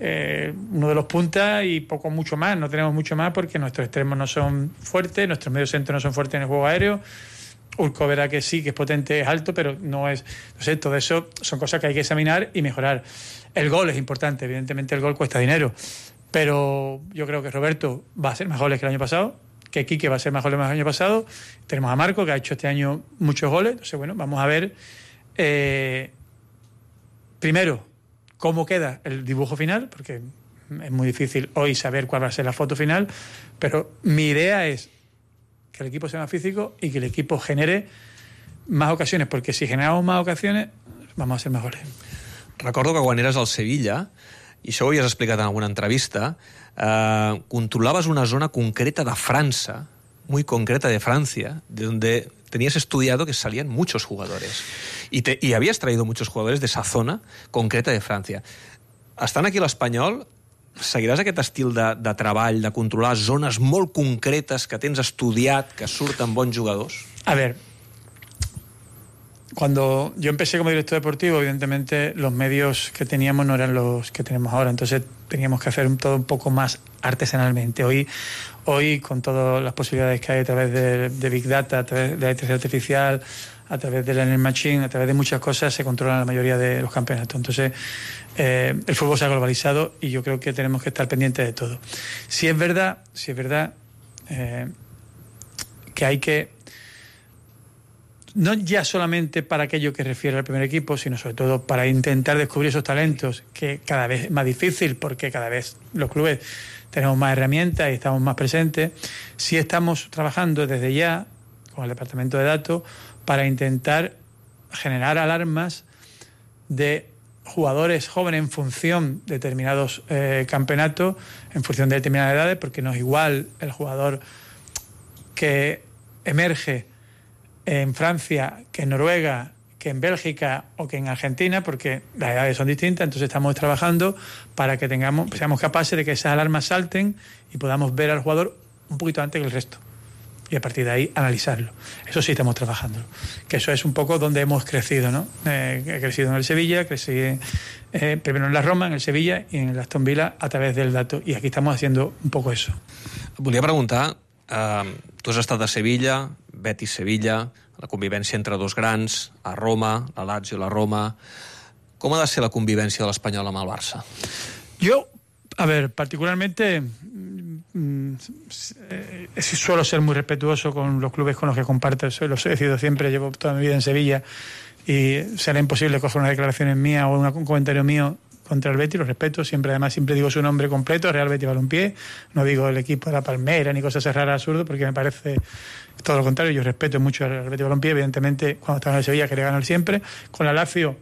uno de los puntas y poco mucho más. No tenemos mucho más porque nuestros extremos no son fuertes, nuestros medios centros no son fuertes en el juego aéreo. Urco verá que sí, que es potente, es alto, pero no es... Entonces, todo eso son cosas que hay que examinar y mejorar. El gol es importante, evidentemente el gol cuesta dinero. Pero yo creo que Roberto va a ser más goles que el año pasado, que Quique va a ser más goles que el año pasado. Tenemos a Marco, que ha hecho este año muchos goles. Entonces, bueno, vamos a ver primero cómo queda el dibujo final, porque es muy difícil hoy saber cuál va a ser la foto final, pero mi idea es que el equipo sea más físico y que el equipo genere más ocasiones, porque si generamos más ocasiones vamos a ser más goles. Recordo que quan eres al Sevilla, i això ho havies explicat en alguna entrevista, controlaves una zona concreta de França, muy concreta de Francia, donde tenías estudiado que salían muchos jugadores. Y habías traído muchos jugadores de esa zona concreta de Francia. Estant aquí a l'Espanyol, seguiràs aquest estil de treball, de controlar zones molt concretes que tens estudiat, que surten bons jugadors? A ver, cuando yo empecé como director deportivo, evidentemente los medios que teníamos no eran los que tenemos ahora, entonces teníamos que hacer todo un poco más artesanalmente. Hoy con todas las posibilidades que hay a través de Big Data, a través de la inteligencia artificial, a través del Energy Machine, a través de muchas cosas, se controlan la mayoría de los campeonatos. Entonces, el fútbol se ha globalizado y yo creo que tenemos que estar pendientes de todo. Si es verdad que hay que, no ya solamente para aquello que refiere al primer equipo, sino sobre todo para intentar descubrir esos talentos, que cada vez es más difícil porque cada vez los clubes tenemos más herramientas y estamos más presentes. Sí estamos trabajando desde ya con el departamento de datos para intentar generar alarmas de jugadores jóvenes en función de determinados campeonatos, en función de determinadas edades, porque no es igual el jugador que emerge en Francia, que en Noruega, que en Bélgica o que en Argentina, porque las edades son distintas. Entonces estamos trabajando para que seamos capaces de que esas alarmas salten y podamos ver al jugador un poquito antes que el resto. Y a partir de ahí analizarlo. Eso sí estamos trabajando. Que eso es un poco donde hemos crecido, ¿no? He crecido en el Sevilla, crecí primero en la Roma, en el Sevilla y en el Aston Villa a través del dato. Y aquí estamos haciendo un poco eso. Volia preguntar, tu has estat a Sevilla, Betis Sevilla, la convivència entre dos grans, a Roma, la Lazio, la Roma. Com ha de ser la convivència de l'Espanyol amb el Barça? Yo, a ver, particularmente suelo ser muy respetuoso con los clubes con los que comparto. Los he sido siempre, llevo toda mi vida en Sevilla y será imposible coger una declaración mía o un comentario mío contra el Betis, lo respeto, además siempre digo su nombre completo, Real Betis Balompié, no digo el equipo de la Palmera ni cosas raras, absurdas, porque me parece todo lo contrario. Yo respeto mucho al Real Betis Balompié, evidentemente cuando estaba en el Sevilla quería ganar siempre. Con la Lazio,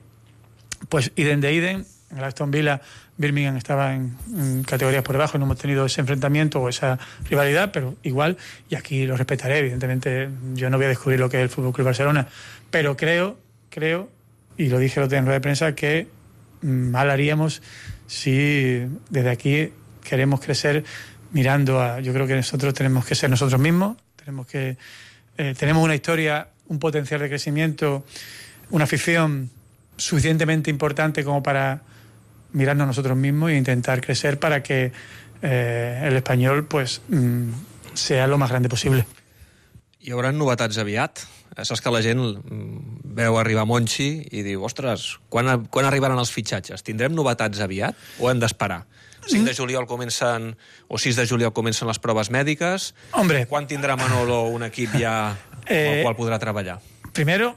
pues idem de idem. En el Aston Villa, Birmingham estaba en categorías por debajo, no hemos tenido ese enfrentamiento o esa rivalidad, pero igual, y aquí lo respetaré, evidentemente yo no voy a descubrir lo que es el Fútbol Club Barcelona, pero creo, y lo dije el otro día en rueda de prensa, que mal haríamos si desde aquí queremos crecer mirando a... Yo creo que nosotros tenemos que ser nosotros mismos, tenemos una historia, un potencial de crecimiento, una afición suficientemente importante como para mirarnos nosotros mismos e intentar crecer para que el Espanyol pues, sea lo más grande possible. Hi haurà novetats aviat? Saps que la gent veu arribar Monchi i diu, ostres, quan arribaran els fitxatges? Tindrem novetats aviat o hem d'esperar? 5 de juliol comencen, o 6 de juliol comencen les proves mèdiques. Hombre. Quan tindrà Manolo un equip ja amb el qual podrà treballar? Primero,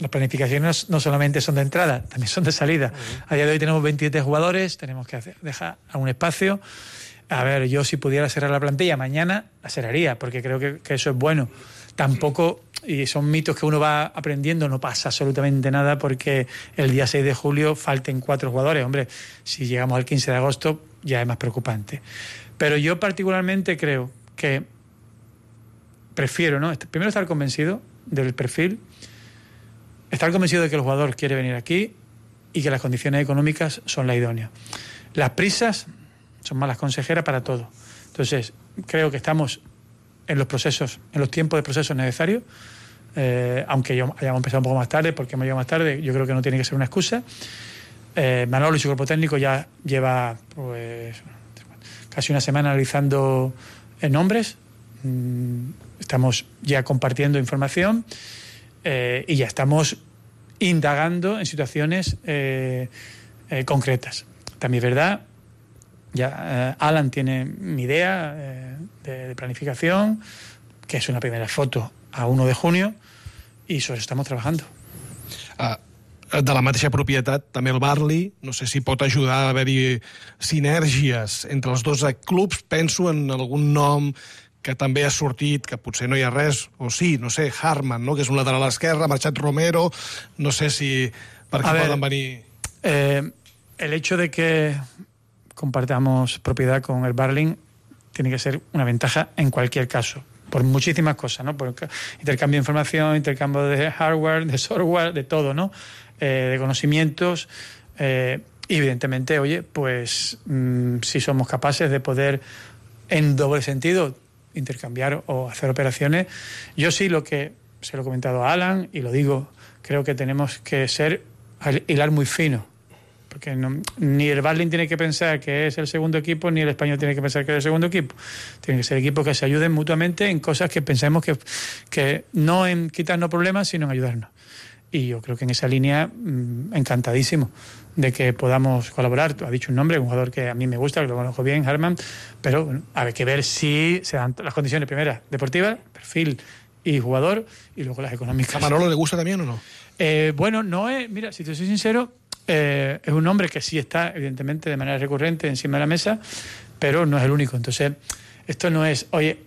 las planificaciones no solamente son de entrada, también son de salida. A día de hoy tenemos 27 jugadores, tenemos que dejar un espacio. A ver, yo si pudiera cerrar la plantilla mañana, la cerraría, porque creo que eso es bueno. Tampoco, y son mitos que uno va aprendiendo, no pasa absolutamente nada porque el día 6 de julio falten 4 jugadores. Hombre, si llegamos al 15 de agosto ya es más preocupante. Pero yo particularmente creo que prefiero, ¿no? Primero estar convencido del perfil, estar convencido de que el jugador quiere venir aquí y que las condiciones económicas son las idóneas. Las prisas son malas consejeras para todo. Entonces, creo que estamos en los procesos, en los tiempos de procesos necesarios, aunque hayamos empezado un poco más tarde, porque hemos llegado más tarde, yo creo que no tiene que ser una excusa. Manolo y su cuerpo técnico ya lleva pues casi una semana analizando nombres. Estamos ya compartiendo información y ya estamos indagando en situaciones concretas. También es verdad, ya Alan tiene mi idea de planificación, que es una primera foto a 1 de junio, i sobre això estem trabajando. De la mateixa propietat, també el Barli, no sé si pot ajudar a haver-hi sinergies entre els dos clubs. Penso en algun nom que també ha sortit, que potser no hi ha res, o sí, no sé, Harman, no? Que és un lateral esquerre, ha marxat Romero, no sé si per què poden venir... El hecho de que compartamos propiedad con el Barling tiene que ser una ventaja en cualquier caso, por muchísimas cosas, ¿no? Por intercambio de información, intercambio de hardware, de software, de todo, ¿no? De conocimientos. Y evidentemente, oye, pues si somos capaces de poder, en doble sentido, intercambiar o hacer operaciones. Yo sí se lo he comentado a Alan y lo digo, creo que tenemos que hilar muy fino porque ni el Barlin tiene que pensar que es el segundo equipo, ni el Español tiene que pensar que es el segundo equipo. Tienen que ser equipos que se ayuden mutuamente en cosas que pensemos que no en quitarnos problemas, sino en ayudarnos. Y yo creo que en esa línea, encantadísimo de que podamos colaborar. Tú has dicho un nombre, un jugador que a mí me gusta, que lo conozco bien, Harman, pero bueno, hay que ver si se dan las condiciones primeras, deportivas, perfil y jugador, y luego las económicas. ¿A Manolo le gusta también o no? Bueno, no es, mira, si te soy sincero, es un hombre que sí está, evidentemente, de manera recurrente encima de la mesa, pero no es el único. Entonces, esto no es, oye,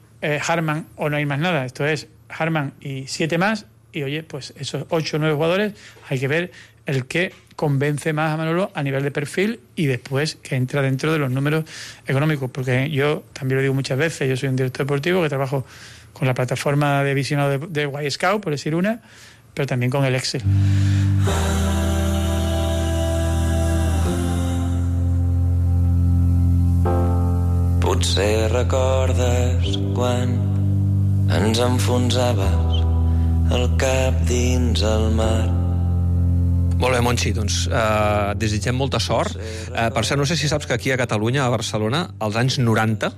Harman o no hay más nada, esto es Harman y 7 más, y oye, pues esos 8 o 9 jugadores, hay que ver el que convence más a Manolo a nivel de perfil y después que entra dentro de los números económicos, porque yo también lo digo muchas veces, yo soy un director deportivo que trabajo con la plataforma de visionado de Y Scout, por decir una, pero también con el Excel. Potser recordes quan ens enfonsaves el cap dins el mar. Molt bé, Monchi, doncs desitgem molta sort. Per cert, no sé si saps que aquí a Catalunya, a Barcelona, als anys 90,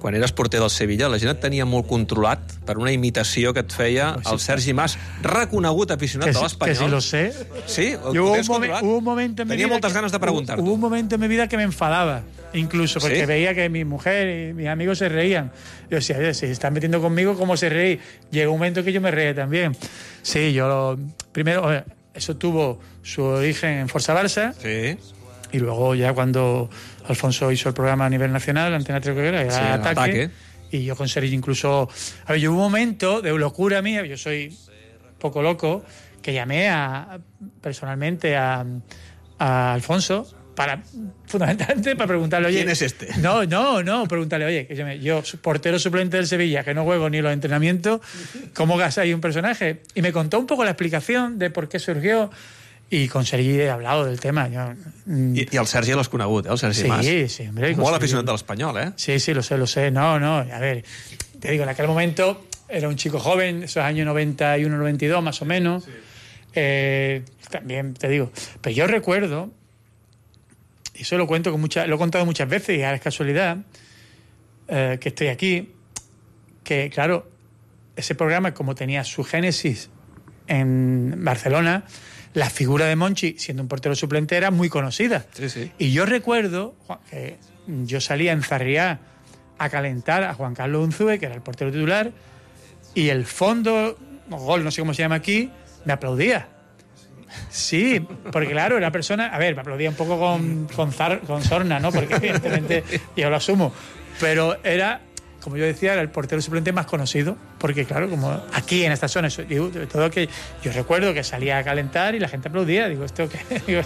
quan eres porter del Sevilla, la gent et tenia molt controlat per una imitació que et feia el Sergi Mas, reconegut aficionat de l'Espanyol. Que si lo sé. Sí? Hubo un momento en mi vida... Tenía moltes ganas de preguntar-t'ho. Hubo un momento en mi vida que me enfadaba, incluso, porque veía que mi mujer y mis amigos se reían. Yo decía, oye, si se están metiendo conmigo, ¿cómo se reí? Llegó un momento que yo me reía también. Sí, primero, eso tuvo su origen en Forza Barça. Sí. Y luego ya cuando Alfonso hizo el programa a nivel nacional, Antena 3 que era Ataque. Y yo con Sergi incluso... A ver, yo hubo un momento de locura mía, yo soy poco loco, que llamé personalmente a Alfonso fundamentalmente para preguntarle, oye... ¿Quién es este? No, preguntarle, oye, yo portero suplente del Sevilla, que no juego ni los entrenamientos, ¿cómo gasáis un personaje? Y me contó un poco la explicación de por qué surgió, y con Sergi he hablado del tema. I el Sergi l'has conegut, el Sergi Mas? Sí, hombre. Molt aficionat de l'Espanyol, Sí, lo sé. No, a ver, te digo, en aquel momento era un chico joven, esos años 91, 92, más o menos. Sí. También te digo, pero yo recuerdo, y eso lo cuento lo he contado muchas veces, y ahora es casualidad que estoy aquí, que claro, ese programa, como tenía su génesis en Barcelona, la figura de Monchi, siendo un portero suplente, era muy conocida. Sí. Y yo recuerdo que yo salía en Sarriá a calentar a Juan Carlos Unzúe, que era el portero titular, y el fondo, gol, no sé cómo se llama aquí, me aplaudía. Sí, porque claro, era persona... A ver, me aplaudía un poco con sorna, ¿no? Porque evidentemente yo lo asumo. Pero era, como yo decía, era el portero suplente más conocido. Porque claro, como aquí en esta zona, digo, todo que yo recuerdo que salía a calentar y la gente aplaudía. Digo, esto que...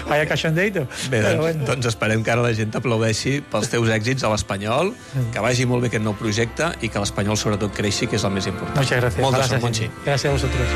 vaya cachondeito. Bé, doncs esperem que ara la gent aplaudeixi pels teus èxits a l'Espanyol, que vagi molt bé aquest nou projecte i que l'Espanyol sobretot creixi, que és el més important. Muchas gracias. Molta sort, Monchi. Gracias a vosotros.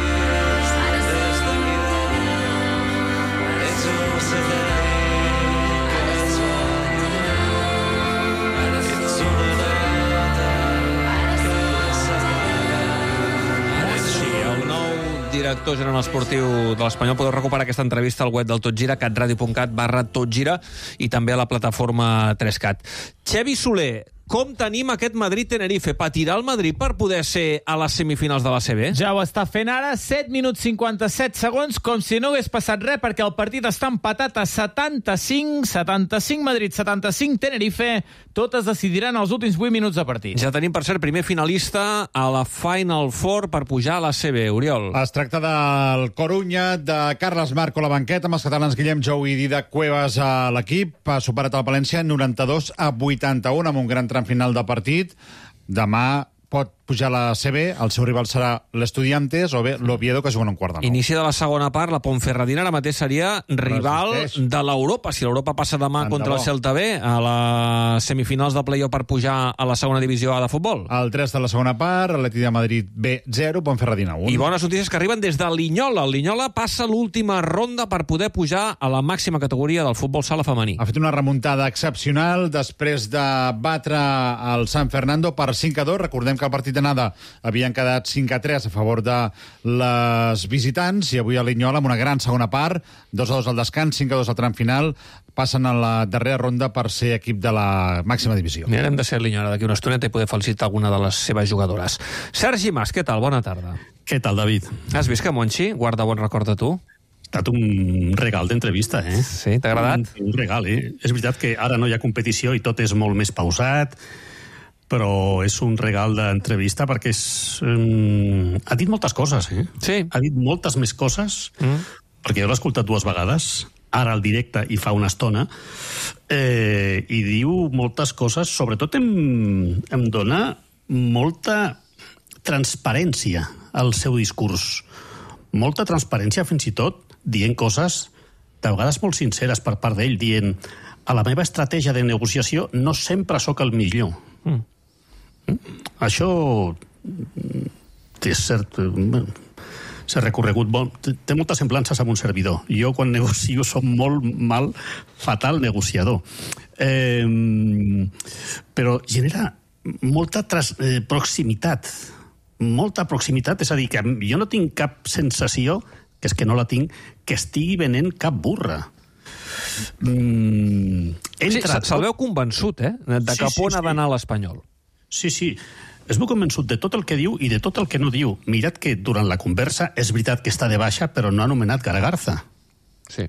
Director general esportiu de l'Espanyol. Podeu recuperar aquesta entrevista al web del Tot Gira, catradio.cat/totgira, i també a la plataforma 3Cat. Xevi Soler, com tenim aquest Madrid-Tenerife? Patirà el Madrid per poder ser a les semifinals de l'ACB? Ja ho està fent ara, 7 minuts 57 segons, com si no hagués passat res, perquè el partit està empatat a 75 Madrid, 75 Tenerife. Totes decidiran els últims 8 minuts de partit. Ja tenim, per cert, primer finalista a la Final Four per pujar a l'ACB. Oriol. Es tracta del Corunya, de Carles Marco a la banqueta, amb els catalans Guillem Jou i Didac Cuevas a l'equip. Ha superat el València 92-81 amb un gran tram final de partit. Demà pot pujar a la CB, el seu rival serà l'Estudiantes o bé l'Oviedo, que juguen un quart de nou. Inici de la segona part, la Ponferradina ara mateix seria rival de l'Europa. Si l'Europa passa demà contra el Celta B a les semifinals de play-off per pujar a la segona divisió A de futbol. El 3 de la segona part, Atlètic de Madrid B 0, Ponferradina 1. I bones notícies que arriben des de Linyola. El Linyola passa l'última ronda per poder pujar a la màxima categoria del futbol sala femení. Ha fet una remuntada excepcional després de batre el San Fernando per 5-2. Recordem que el partit anada havien quedat 5-3 a favor de les visitants, i avui a Linyola, amb una gran segona part, 2-2 al descans, 5-2 al tram final, passen a la darrera ronda per ser equip de la màxima divisió. Mirarem de ser a Linyola d'aquí una estoneta i poder felicitar alguna de les seves jugadores. Sergi Mas, què tal? Bona tarda. Què tal, David? Has vist que Monchi guarda bon record de tu? Ha estat un regal d'entrevista, eh? Sí, t'ha agradat? Un regal, eh? És veritat que ara no hi ha competició i tot és molt més pausat, però és un regal d'entrevista perquè ha dit moltes coses, eh? Sí. Ha dit moltes més coses, perquè jo l'he escoltat 2 vegades, ara al directe i fa una estona, i diu moltes coses, sobretot em dona molta transparència al seu discurs. Molta transparència, fins i tot, dient coses de vegades molt sinceres per part d'ell, dient a la meva estratègia de negociació no sempre sóc el millor. Això és cert, s'ha recorregut molt, té moltes semblances amb un servidor. Jo quan negocio som molt fatal negociador. Però genera molta proximitat, és a dir, que jo no tinc cap sensació, que és que no la tinc, que estigui venent cap burra. Se'l veu convençut, de cap on ha d'anar l'Espanyol. Sí, es veu convençut de tot el que diu i de tot el que no diu. Mirad que durant la conversa és veritat que està de baixa, però no ha anomenat Garagarza. Sí.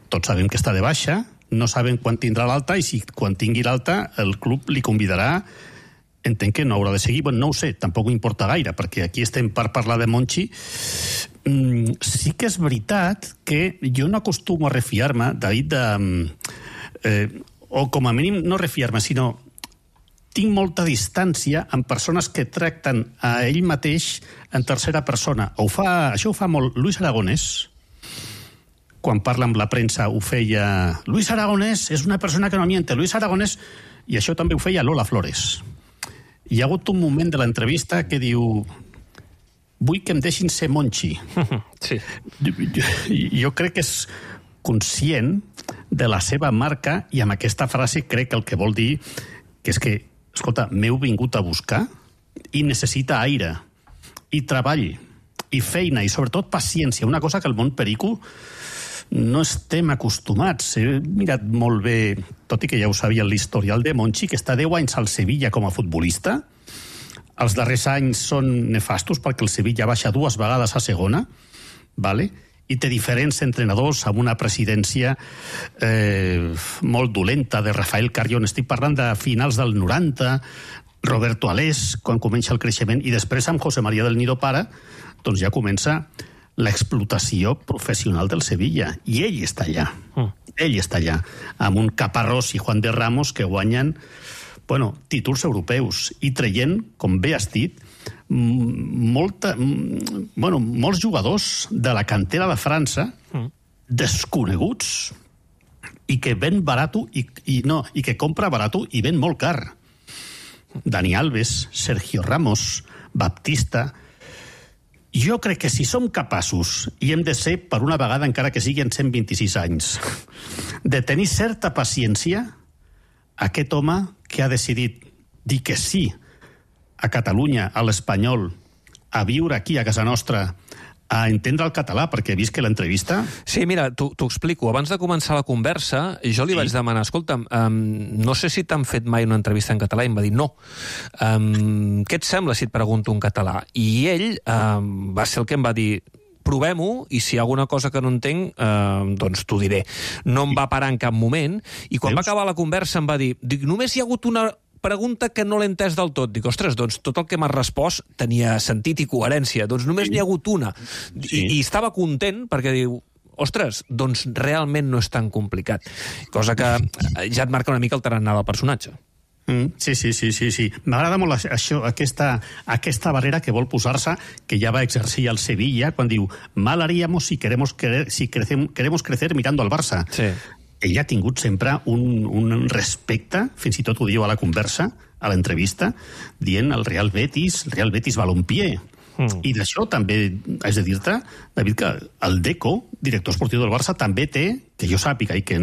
Tots sabem que està de baixa, no sabem quan tindrà l'alta, i si quan tingui l'alta el club li convidarà. Entenc que no haurà de seguir, no ho sé, tampoc m'importa gaire, perquè aquí estem per parlar de Monchi. Sí que és veritat que jo no acostumo a refiar-me, David, o com a mínim no refiar-me, sinó tinc molta distància amb persones que tracten a ell mateix en tercera persona. Això ho fa molt Luis Aragonès. Quan parla amb la premsa ho feia Luis Aragonès és una persona que no miente. Luis Aragonès, i això també ho feia Lola Flores. Hi ha hagut un moment de l'entrevista que diu vull que em deixin ser Monchi. Sí. Jo crec que és conscient de la seva marca, i amb aquesta frase crec que el que vol dir que és que, escolta, m'heu vingut a buscar i necessita aire, i treball, i feina, i sobretot paciència, una cosa que el món perico no estem acostumats. He mirat molt bé, tot i que ja ho sabia, l'historial de Monchi, que està 10 anys al Sevilla com a futbolista. Els darrers anys són nefastos perquè el Sevilla baixa 2 vegades a segona, i té diferents entrenadors amb una presidència molt dolenta, de Rafael Carrión. Estic parlant de finals del 90, Roberto Alés, quan comença el creixement, i després amb José María del Nido Pare, doncs ja comença l'explotació professional del Sevilla, i ell està allà. Ell està allà, amb un Caparrós i Juan de Ramos que guanyen títols europeus i traient, com bé has dit, molts jugadors de la cantera de França desconeguts i que ven barato i que compra barato i ven molt car. Dani Alves, Sergio Ramos, Baptista. Jo crec que si som capaços, i hem de ser per una vegada, encara que sigui en 126 anys, de tenir certa paciència, aquest home que ha decidit dir que sí a Catalunya, a l'Espanyol, a viure aquí a casa nostra, a entendre el català, perquè he vist que l'entrevista... Sí, mira, t'ho explico. Abans de començar la conversa, jo li vaig demanar, escolta'm, no sé si t'han fet mai una entrevista en català, i em va dir no. Què et sembla si et pregunto en català? I ell va ser el que em va dir provem-ho, i si hi ha alguna cosa que no entenc, doncs t'ho diré. No em va parar en cap moment, i quan va acabar la conversa em va dir, només hi ha hagut una pregunta que no l'he entès del tot. Dic, ostres, doncs tot el que m'has respost tenia sentit i coherència. Doncs només n'hi ha hagut una. I estava content perquè diu, ostres, doncs realment no és tan complicat. Cosa que ja et marca una mica el tarannà del personatge. Sí. M'agrada molt això, aquesta barrera que vol posar-se, que ja va exercir al Sevilla, quan diu, mal haríamos si queremos crecer mirando al Barça. Sí. Ell ha tingut sempre un respecte, fins i tot ho diu a la conversa, a l'entrevista, dient el Real Betis Balompié. I d'això també haig de dir-te, David, que el Deco, director esportiu del Barça, també té, que jo sàpiga i que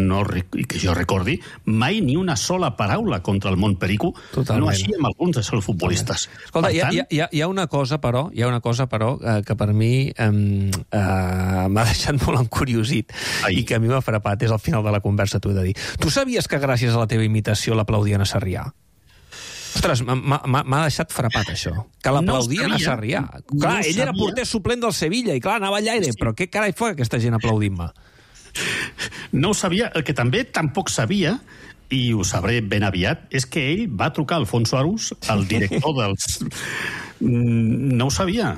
jo recordi, mai ni una sola paraula contra el món perico, no així amb alguns dels futbolistes. Escolta, hi ha una cosa, però, que per mi m'ha deixat molt encuriosit i que a mi m'ha frapat, és al final de la conversa, t'ho he de dir. Tu sabies que gràcies a la teva imitació l'aplaudien a Sarrià? Ostres, m'ha deixat frapat, això. Que l'aplaudien a Sarrià. Clar, ell era porter suplent del Sevilla i, clar, anava allà i deia, però què carai fa aquesta gent aplaudint-me? No ho sabia. El que també tampoc sabia, i ho sabré ben aviat, és que ell va trucar a Alfonso Arús, el director dels... No ho sabia.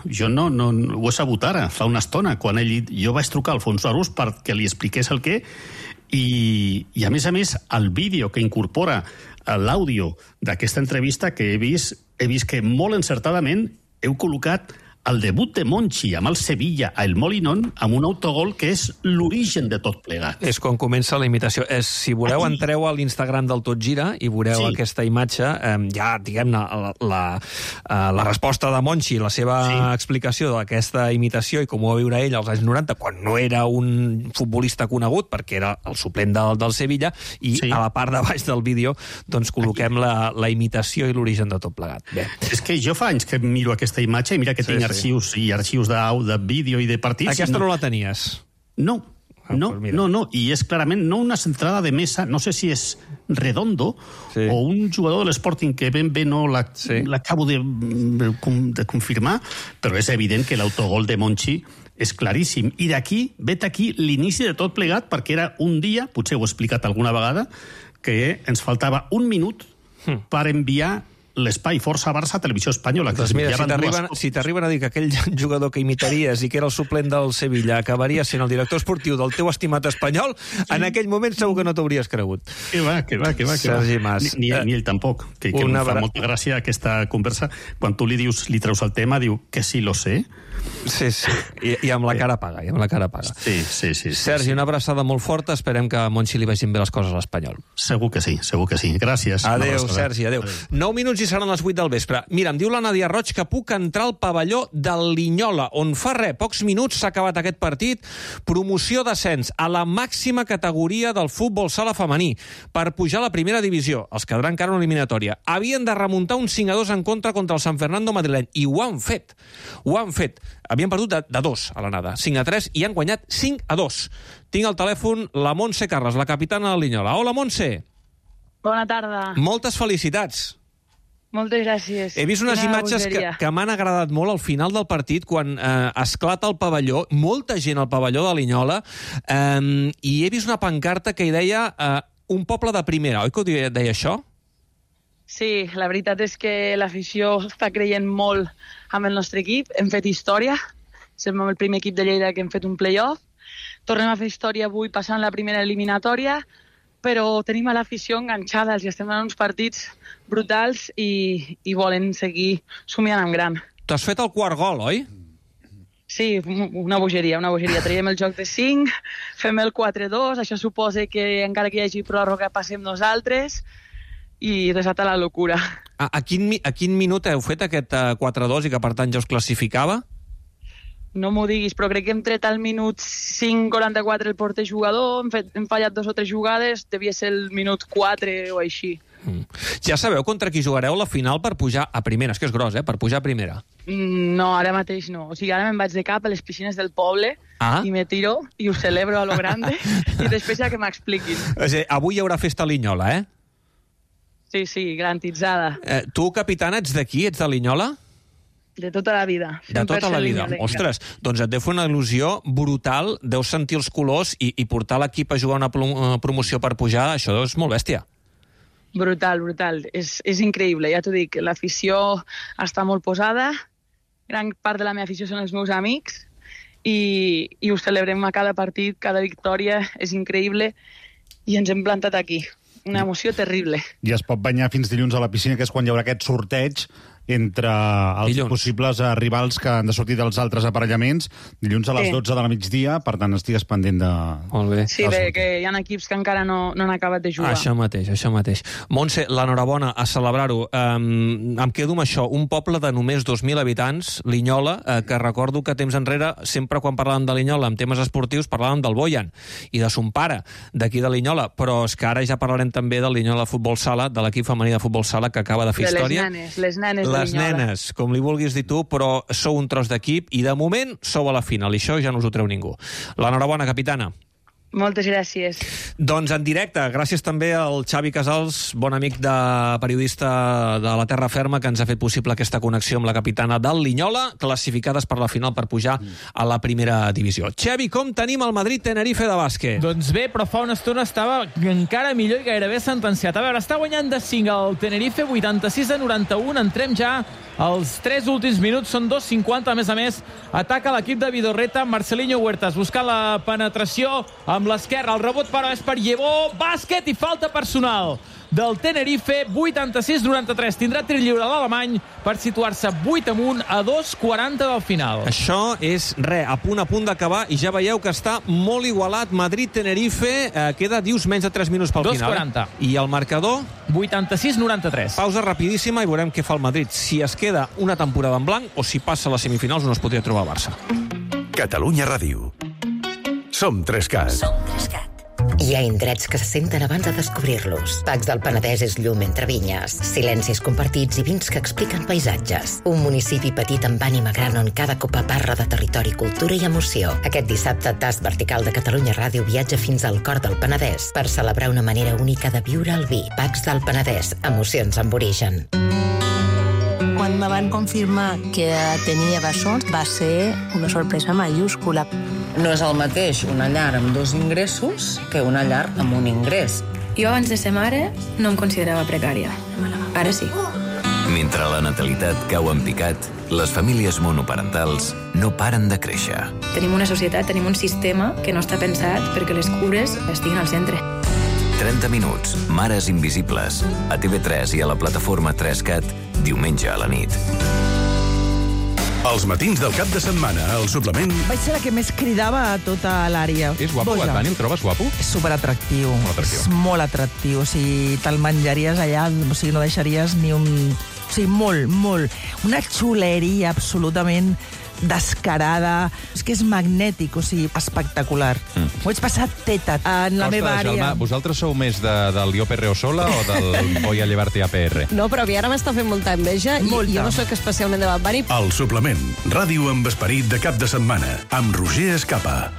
Jo no ho he sabut ara, fa una estona, quan jo vaig trucar a Alfonso Arús perquè li expliqués el què, i a més, el vídeo que incorpora l'àudio d'aquesta entrevista que he vist que molt encertadament heu col·locat el debut de Monchi amb el Sevilla a El Molinón amb un autogol que és l'origen de tot plegat. És quan comença la imitació. Si voleu, entreu a l'Instagram del Tot Gira i veureu aquesta imatge, ja, diguem-ne, la resposta de Monchi, la seva explicació d'aquesta imitació i com ho va viure ell als anys 90, quan no era un futbolista conegut, perquè era el suplent del Sevilla, i a la part de baix del vídeo doncs col·loquem la imitació i l'origen de tot plegat. Bé. És que jo fa anys que miro aquesta imatge i mira que tinc arxius de vídeo i de partits. Aquesta no la tenies? No, i és clarament no una centrada de mesa, no sé si és Redondo o un jugador de l'Sporting que ben bé no l'acabo de confirmar, però és evident que l'autogol de Monchi és claríssim. I vet aquí l'inici de tot plegat, perquè era un dia, potser ho he explicat alguna vegada, que ens faltava un minut per enviar l'espai Força Barça a Televisió Espanyola. Doncs mira, si t'arriben a dir que aquell jugador que imitaries i que era el suplent del Sevilla acabaria sent el director esportiu del teu estimat Espanyol, en aquell moment segur que no t'hauries cregut. Que va. Sergi Mas. Ni ell tampoc, que em fa molta gràcia aquesta conversa. Quan tu li treus el tema, diu que sí lo sé. Sí. I amb la cara paga, Sí. Sergi, una abraçada molt forta. Esperem que a Monchi li vagin bé les coses a l'Espanyol. Segur que sí. Gràcies. Adéu, Sergi, adéu. 9 minuts i seran les 8 del vespre. Mira, em diu la Nadia Roig que puc entrar al pavelló del Linyola, on fa pocs minuts s'ha acabat aquest partit. Promoció d'ascens a la màxima categoria del futbol sala femení per pujar a la primera divisió. Els quedarà encara una eliminatòria. Havien de remuntar un 5-2 en contra el San Fernando madrileny, i ho han fet. Havien perdut de 2 a l'anada, 5-3, i han guanyat 5-2. Tinc al telèfon la Montse Carles, la capitana del Linyola. Hola, Montse. Bona tarda. Moltes felicitats. Moltes gràcies. He vist unes imatges que m'han agradat molt al final del partit, quan esclata el pavelló, molta gent al pavelló de Linyola, i he vist una pancarta que hi deia un poble de primera, oi que ho deia això? Sí, la veritat és que l'afició està creient molt amb el nostre equip. Hem fet història. Som el primer equip de Lleida que hem fet un play-off. Tornem a fer història avui passant la primera eliminatòria, però tenim a l'afició enganxada. Els estem donant uns partits brutals i volen seguir somiant en gran. T'has fet el quart gol, oi? Sí, una bogeria. Traiem el joc de 5, fem el 4-2, això suposa que encara que hi hagi pròrroga passem nosaltres, i desata la locura. A quin minut heu fet aquest 4-2 i que per tant ja us classificava? No m'ho diguis, però crec que hem tret al minut 5:44 el porter jugador, hem fallat 2 o 3 jugades, devia ser el minut 4 o així. Ja sabeu contra qui jugareu la final per pujar a primera? És que és gros, per pujar a primera. No, ara mateix no. O sigui, ara me'n vaig de cap a les piscines del poble i me tiro i ho celebro a lo grande i després ja que m'expliquin. Avui hi haurà festa a Linyola, Sí, garantitzada. Tu, capitana, ets d'aquí? Ets de Linyola? De tota la vida. De tota la vida. Ostres, doncs et deu fer una il·lusió brutal, deus sentir els colors i portar l'equip a jugar una promoció per pujar, això és molt bèstia. Brutal. És increïble, ja t'ho dic. L'afició està molt posada, gran part de la meva afició són els meus amics i ho celebrem a cada partit, cada victòria, és increïble i ens hem plantat aquí. Una emoció terrible. I es pot banyar fins dilluns a la piscina, que és quan hi haurà aquest sorteig, entre els possibles rivals que han de sortir dels altres aparellaments dilluns a les 12 de la migdia, per tant estigues pendent de... Molt bé. Sí, bé, que hi ha equips que encara no han acabat de jugar. Això mateix. Montse, l'enhorabona, a celebrar-ho. Em quedo amb això, un poble de només 2.000 habitants, Linyola, que recordo que temps enrere, sempre quan parlàvem de Linyola en temes esportius, parlàvem del Boyan i de son pare, d'aquí de Linyola, però és que ara ja parlarem també del Linyola Futbol Sala, de l'equip femení de futbol sala que acaba de fer història. Les nenes les nenes, com li vulguis dir tu, però sou un tros d'equip i de moment sou a la final, i això ja no us ho treu ningú. L'enhorabona, capitana. Moltes gràcies. Doncs en directe, gràcies també al Xavi Casals, bon amic periodista de la Terra Ferma, que ens ha fet possible aquesta connexió amb la capitana del Linyola, classificades per la final per pujar a la primera divisió. Xavi, com tenim el Madrid-Tenerife de bàsquet? Doncs bé, però fa una estona estava encara millor i gairebé sentenciat. A veure, està guanyant de 5 el Tenerife, 86-91. Entrem ja als 3 últims minuts, són 2:50. A més, ataca l'equip de Vidorreta, Marcelinho Huertas buscant la penetració amb l'esquerra. El rebot, però, és per Llevó. Bàsquet i falta personal del Tenerife, 86-93. Tindrà tir lliure l'alemany per situar-se 8 amunt a 2:40 del final. Això és, a punt d'acabar, i ja veieu que està molt igualat. Madrid-Tenerife, queda, dius, menys de 3 minuts pel final. 2:40. I el marcador? 86-93. Pausa rapidíssima i veurem què fa el Madrid. Si es queda una temporada en blanc o si passa a les semifinals on es podria trobar el Barça. Catalunya Ràdio. Som 3CAT. Som 3CAT. Hi ha indrets que se senten abans de descobrir-los. Pacs del Penedès és llum entre vinyes, silencis compartits i vins que expliquen paisatges. Un municipi petit amb ànima gran on cada copa parla de territori, cultura i emoció. Aquest dissabte, Tast Vertical de Catalunya Ràdio viatja fins al cor del Penedès per celebrar una manera única de viure el vi. Pacs del Penedès, emocions amb origen. Quan me van confirmar que tenia bessons va ser una sorpresa mayúscula. No és el mateix una llar amb 2 ingressos que una llar amb un ingrés. Jo abans de ser mare no em considerava precària. Ara sí. Mentre la natalitat cau en picat, les famílies monoparentals no paren de créixer. Tenim una societat, tenim un sistema que no està pensat perquè les cures estiguin al centre. 30 minuts, Mares Invisibles, a TV3 i a la plataforma 3CAT, diumenge a la nit. Els matins del cap de setmana, al suplement... Vaig ser la que més cridava a tota l'àrea. És guapo, Dani? El trobes guapo? És superatractiu. És molt atractiu. O sigui, te'l menjaries allà, o sigui, no deixaries ni un... O sigui, molt. Una xuleria absolutament descarada. És que és magnètic, o sigui, espectacular. Ho vaig passar teta en la meva àrea. Jaume, vosaltres sou més del Jo Perreo Sola o del Voy a llevarte APR? No, però a mi ara m'està fent molta enveja i jo no soc especialment de Bad. El suplement, ràdio amb esperit de cap de setmana, amb Roger Escapa.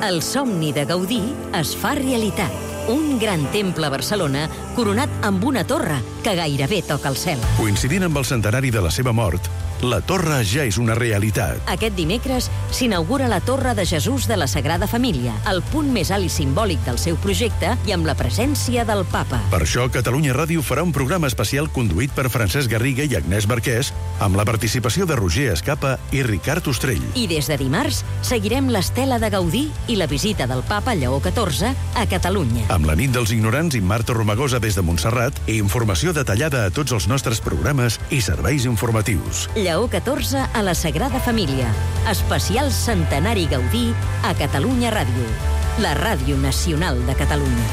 El somni de Gaudí es fa realitat. Un gran temple a Barcelona coronat amb una torre que gairebé toca el cel. Coincidint amb el centenari de la seva mort, la torre ja és una realitat. Aquest dimecres s'inaugura la Torre de Jesús de la Sagrada Família, el punt més alt i simbòlic del seu projecte i amb la presència del Papa. Per això, Catalunya Ràdio farà un programa especial conduït per Francesc Garriga i Agnès Barquès, amb la participació de Roger Escapa i Ricard Ostrell. I des de dimarts seguirem l'estela de Gaudí i la visita del Papa Lleó XIV a Catalunya. Amb la nit dels ignorants i Marta Romagosa des de Montserrat i informació detallada a tots els nostres programes i serveis informatius. Lleó XIV a la Sagrada Família. Especial Centenari Gaudí a Catalunya Ràdio. La ràdio nacional de Catalunya.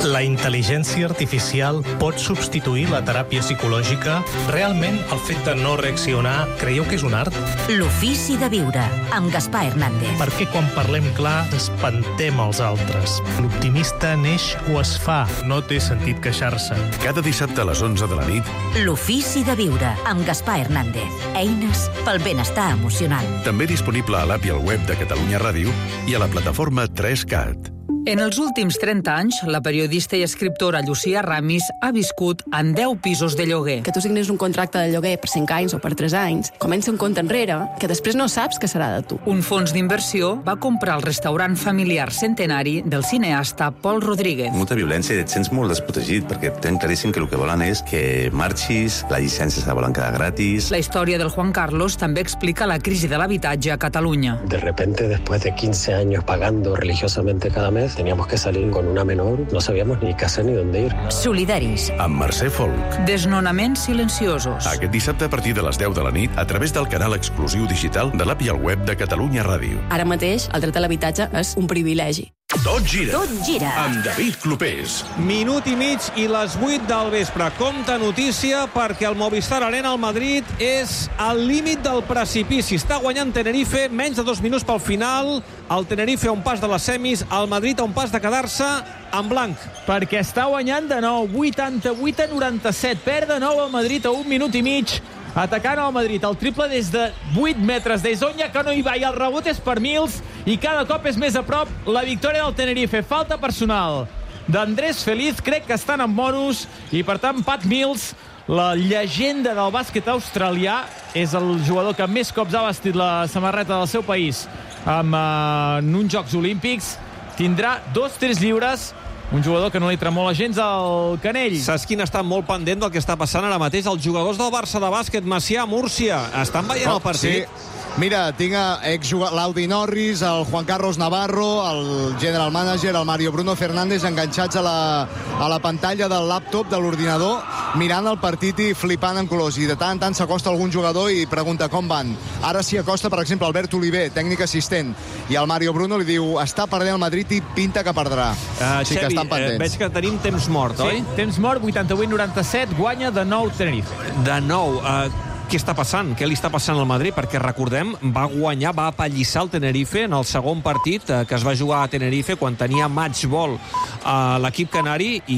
La intel·ligència artificial pot substituir la teràpia psicològica? Realment, el fet de no reaccionar, creieu que és un art? L'ofici de viure, amb Gaspar Hernández. Perquè quan parlem clar, espantem els altres. L'optimista neix o es fa, no té sentit queixar-se. Cada dissabte a les 11 de la nit, L'ofici de viure, amb Gaspar Hernández. Eines pel benestar emocional. també disponible a l'app i al web de Catalunya Ràdio i a la plataforma 3CAT. En els últims 30 anys, la periodista i escriptora Llucia Ramis ha viscut en 10 pisos de lloguer. Que tu signis un contracte de lloguer per 5 anys o per 3 anys, comença un compte enrere que després no saps què serà de tu. Un fons d'inversió va comprar el restaurant familiar centenari del cineasta Pol Rodríguez. Molta violència i et sents molt desprotegit perquè tenen claríssim que el que volen és que marxis, la llicència se la volen quedar gratis. La història del Juan Carlos també explica la crisi de l'habitatge a Catalunya. De repente, después de 15 años pagando religiosamente cada mes, teníamos que salir con una menor, no sabíamos ni qué hacer ni dónde ir. Solidaris. Amb Mercè Folk. Desnonaments silenciosos. Aquest dissabte a partir de les 10 de la nit a través del canal exclusiu digital de l'app i el web de Catalunya Ràdio. Ara mateix, el dret a l'habitatge és un privilegi. Tot gira. Tot gira. Amb David Clopés. Minut i mig i les 8 del vespre. Compte notícia perquè el Movistar Arena al Madrid és al límit del precipici. Està guanyant Tenerife, menys de 2 minuts pel final. El Tenerife a un pas de les semis, el Madrid a un pas de quedar-se en blanc. Perquè està guanyant de nou, 88-97. Perd de nou el Madrid a 1 minut i mig. Atacant al Madrid, el triple des de 8 metres des d'on ja que no hi va, i el rebot és per Mills, i cada cop és més a prop la victòria del Tenerife. Falta personal d'Andrés Feliz, crec que estan en bonus, i per tant Pat Mills, la llegenda del bàsquet australià, és el jugador que més cops ha vestit la samarreta del seu país en uns Jocs Olímpics. Tindrà 2 tirs lliures, un jugador que no li tremola gens al canell. Saps quin està molt pendent del que està passant ara mateix? Els jugadors del Barça de bàsquet, Macià, Múrcia, estan veient el partit? Sí. Mira, tinc l'Audi Norris, el Juan Carlos Navarro, el general manager, el Mario Bruno Fernández, enganxats a la pantalla del laptop, de l'ordinador, mirant el partit i flipant en colors. I de tant en tant s'acosta algun jugador i pregunta com van. Ara s'hi acosta, per exemple, Albert Oliver, tècnic assistent, i el Mario Bruno li diu està perdent el Madrid i pinta que perdrà. Sí que estan pendents. Veig que tenim temps mort, oi? Sí, temps mort, 88-97, guanya de nou Tenerife. De nou. Què està passant? Què li està passant al Madrid? Perquè, recordem, va guanyar, va apallissar el Tenerife en el segon partit que es va jugar a Tenerife quan tenia match ball a l'equip canari i